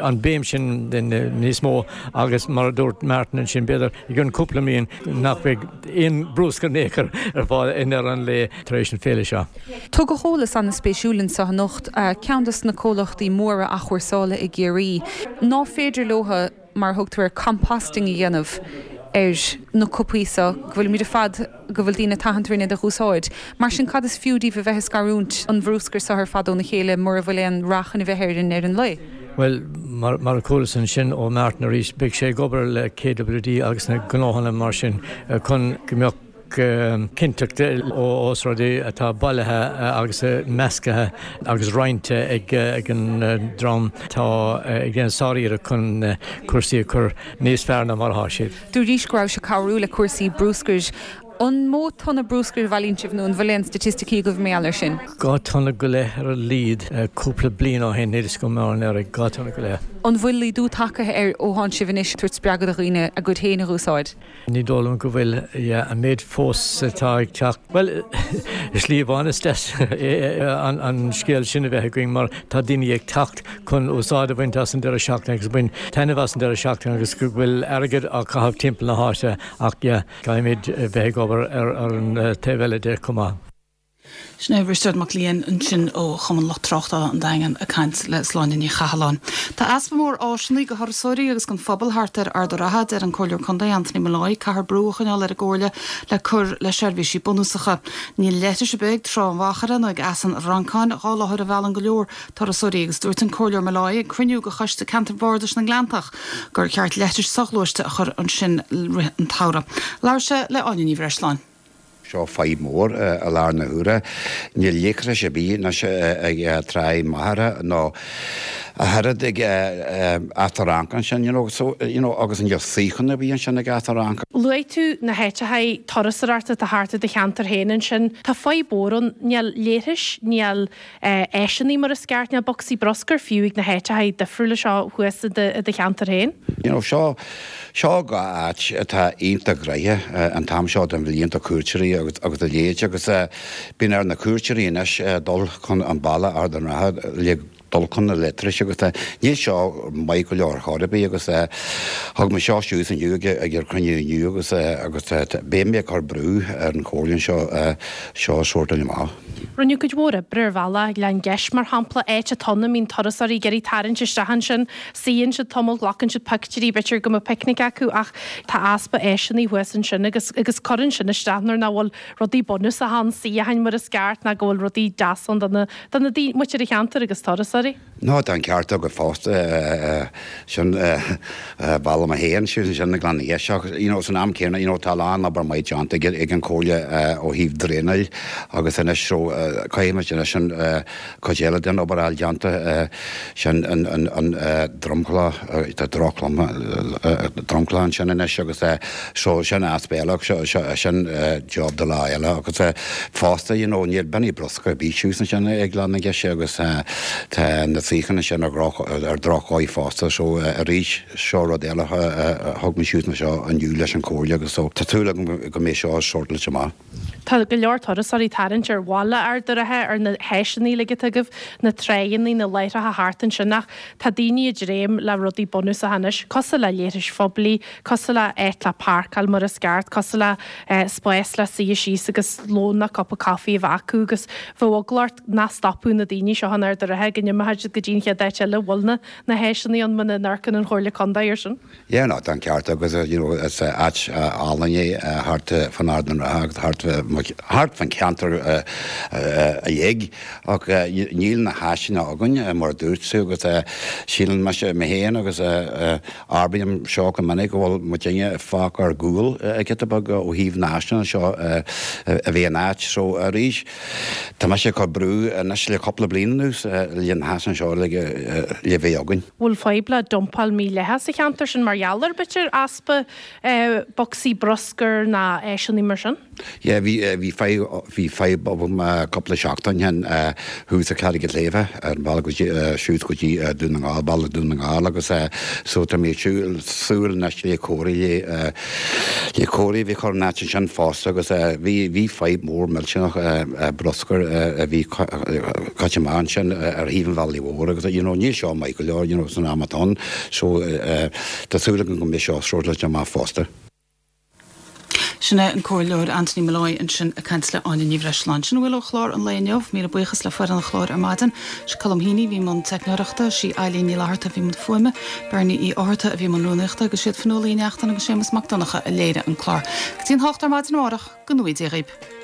Speaker 11: an béim sin níos mó agus mar a dúirt Martin ansin, b'fhéidir i gcionn cúpla bliain nach mbeidh aon brúscar in aon chor ar fáil i ndeireadh an lae tar éis an féile seo.
Speaker 12: Tugadh eolas an-spéisiúil anseo anocht, ceann dos na comhlachtaí móra athchúrsála i gCiarraí, ná féidir leo, mar a thugtar air, composting a dhéanamh ar na cupaí so go bhfuilimid ar fad, go bhfuil daoine ag tathant orainn iad a dh'úsáid. Mar sin cad is fiú díobh a bheith ag scarúint an bhrúscair so ar fad óna chéile mura bhfuil aon rath chun a bheith air i ndeireadh an lae?
Speaker 11: Bhuel, mar a chualas ansin ó Martin arís, beidh sé ag obair le KWD agus na gnóthanna mar sin chun go mbeadh cinnteacht ós rud é atá bailithe agus measctha agus roinnte ag an dream atá ag déanamh sár-iarracht chun cúrsaí a chur níos fearr ná mar atá siad.
Speaker 12: Dúraís go raibh sé ag cabhrú le cúrsaí brúscair. An mó tonna brúscair a bhailíonn sibh nó an bhfuil aon staitisticí agaibh mar gheall air sin?
Speaker 11: 2 tonna go leith ar a laghad cúpla bliain ó shin, níl a fhios agam mar anuraidh, 2 tonna go leith.
Speaker 12: An bhfuil laghdú tagtha air ó thánn sibh anois ag tabhairt spreagadh do dhaoine a gcuid féin a dh'úsáid?
Speaker 11: Ní dóigh liom go bhfuil, yeah, an méid fós atá ag teacht, bhuel, i slí amháin is deas an scéal sin a bheith againn mar tá daoine ag teacht chun úsáid a bhaint as an deireadh seachtaine agus baint taitneamh as an deireadh seachtaine agus go bhfuil airgead á chaitheamh timpeall na háite ach, yeah, caithfimid bheith ag obair ar an taobh eile de chomh maith.
Speaker 1: Sin é Risteard Mac Liam ansin ó Chumann Lucht Tráchtála an Daingin ag caint le Sláine Ní Chathalláin. Tá easpa mór áiseanna do thurasóirí agus don phobal thart ar Ard an Rátha, deir an Comhairleoir Contae Anthony Molloy. Caithfear brú a choinneáil ar an gComhairle le cur le seirbhísí bunúsacha. Níl leithris ar bith ag Trá an Mhachaire nó ag Eas an Fhrancáin, 2 láthair a mheallann go leor turasóirí agus dúirt an Comhairleoir Molloy ag cruinniú de Choiste Ceantair Bhardais na nGleanntach gur cheart leithris soghluaiste a chur ansin rith an tsamhraidh. Labhair sé le Áine Ní Bhreisleáin.
Speaker 13: Seo fadhb mhór i láthair na huaire. Níl leithreas ar bith anois ag Tráigh Mhachaire nó ach oiread ag Eas an Fhrancaigh ansin, you know, so, you know, agus níl suíochán ar bith ansin ag Eas an Fhrancaigh.
Speaker 14: Luaigh tú na háiteacha turasóireachta atá thart i do cheantar féin ansin. Tá fadhb mhór ann. Níl leithris, níl áiseanna mar is ceart, níl bocsaí bruscair fiú ag na háiteacha difriúla seo thuas i do cheantar féin.
Speaker 13: You know, seo, seo 2 áit atá iontach gnoitheach an t-am seo den bhliain do cuairteoirí agus, agus a leithéid agus bíonn ar na cuairteoirí anois dul chun an baile Ard an Rátha le dul chun na leithris agus níl seo maith go leor ar chor ar bith agus thug mé seo suas inniu ag, ag an cruinniú inniu agus, agus beidh mé ag cur brú ar an chomhairle anseo seo a shórtáil amach.
Speaker 14: Rinneadh cuid mhór oibre ar bhealach Ghleann Geis, mar shampla, áit atá ann a mbíonn turasóirí ag iarraidh tarraingt isteach ansin. Suíonn siad tamall, glacann siad pictiúirí, b'fhéidir go mbeadh picnic acu ach tá easpa áiseanna thuas ansin agus agus cuireann sin isteach nuair nach bhfuil rudaí bunúsacha ann, suíocháin mar is ceart ná go bhfuil rudaí deasa ann do na do na daoine, muintir an cheantair agus turasóirí.
Speaker 13: Nó tá an ceart agat fosta, sin baile mé féin, sin sin na Gleann Gheis ach you know san am céanna you know tá a lán obair maith déanta ag ag an Chomhairle ó thaobh draenáil agus anois so caithfimid anois an cuid eile den obair a fháil déanta sin an an an dromchla tá drochlom dromchla ansin anois agus so sin easpa eile ach seo seo sin job do lá eile agus fosta you know níl binní bruscair ar bith suas ansin ag Gleann na Geise agus tá na. suíocháin ansin ar ar drochdhóigh fosta so arís seo rud eile a thug mé suas anseo inniu leis an Chomhairle agus so tá súil agam go mbeidh seo sórtáilte amach.
Speaker 14: Tá go leor turasóirí ag tarraingt ar bhaile Ard an Rátha, ar na háiseanna uilig atá agaibh, na tráigheanna, na láithreacha thart ansin ach tá daoine ag dréim le rudaí bunúsacha anois, cosúil le leithris phoiblí, cosúil le áit le páirceáil mar is ceart, cosúil le spás le suí síos agus lón nó cupa caife a bheith acu agus bheadh eagla ort nach stopfadh na daoine seo in Ard an Rátha go n-imeoidh siad go dtí an chéad áit eile a bhfuil na na háiseanna ann muna n-amharcann an Chomhairle Contae air sin.
Speaker 13: Yeah no tá an ceart agat you know is áit álainn é thart fán Ard an Rátha agus thart thart fán cheantar uilig ach níl na háiseanna againn mar a dúirt tú agus síleann mise mé féin agus abraím seo go minic go bhfuil muidinne fágtha ar gcúl giota beag ó thaobh na háiseanna seo a bheith in áit so arís Tá mise ag cur brú anois le cúpla bliain anuas le na háiseanna seo le bheith againn.
Speaker 14: Bhfuil fadhb le dumpáil mhídhleathach sa cheantar sin mar gheall ar, b'fhéidir, easpa bocsaí bruscair ná áiseanna mar sin?
Speaker 13: Yeah, bhí, bhí fadhb, bhí fadhb agam cúpla seachtain ó shin thuas i Carraig an tSléibhe ar an bhealach go dtí, suas go dtí Dún na nGall, bealach Dún na nGall agus so tá mé ag súil, súil anois le cóirí le, Le cóirí a bheith curtha in áit ansin fosta agus bhí bhí fadhb mór millteanach bruscair a bhí caite amach ansin ar thaobh an bhealaigh mhóir agus you know níl seo maith go leor you know san am atá ann so tá súil agam go mbeidh seo sórtáilte amach fosta.
Speaker 1: Sin é an Comhairleoir Anthony Molloy ansin ag caint le Áine Ní Bhreisleáin. Sin a bhfuil ó chlár an lae inniu. Míle buíochas le foireann an chláir ar maidin. Sé Colm Heaney a bhí i mbun teicneoireachta, sí Eilín Ní Fhlatharta a bhí i mbun fuaime, Bernie Uí Fhátharta a bhí i mbun rúnaíochta agus siad Fionnuala Uí Neachtain agus Séamus Mac Donncha a léirigh an clár. Go dtí an hocht ar maidin amárach, go ngnóthaí Dia dhaoib.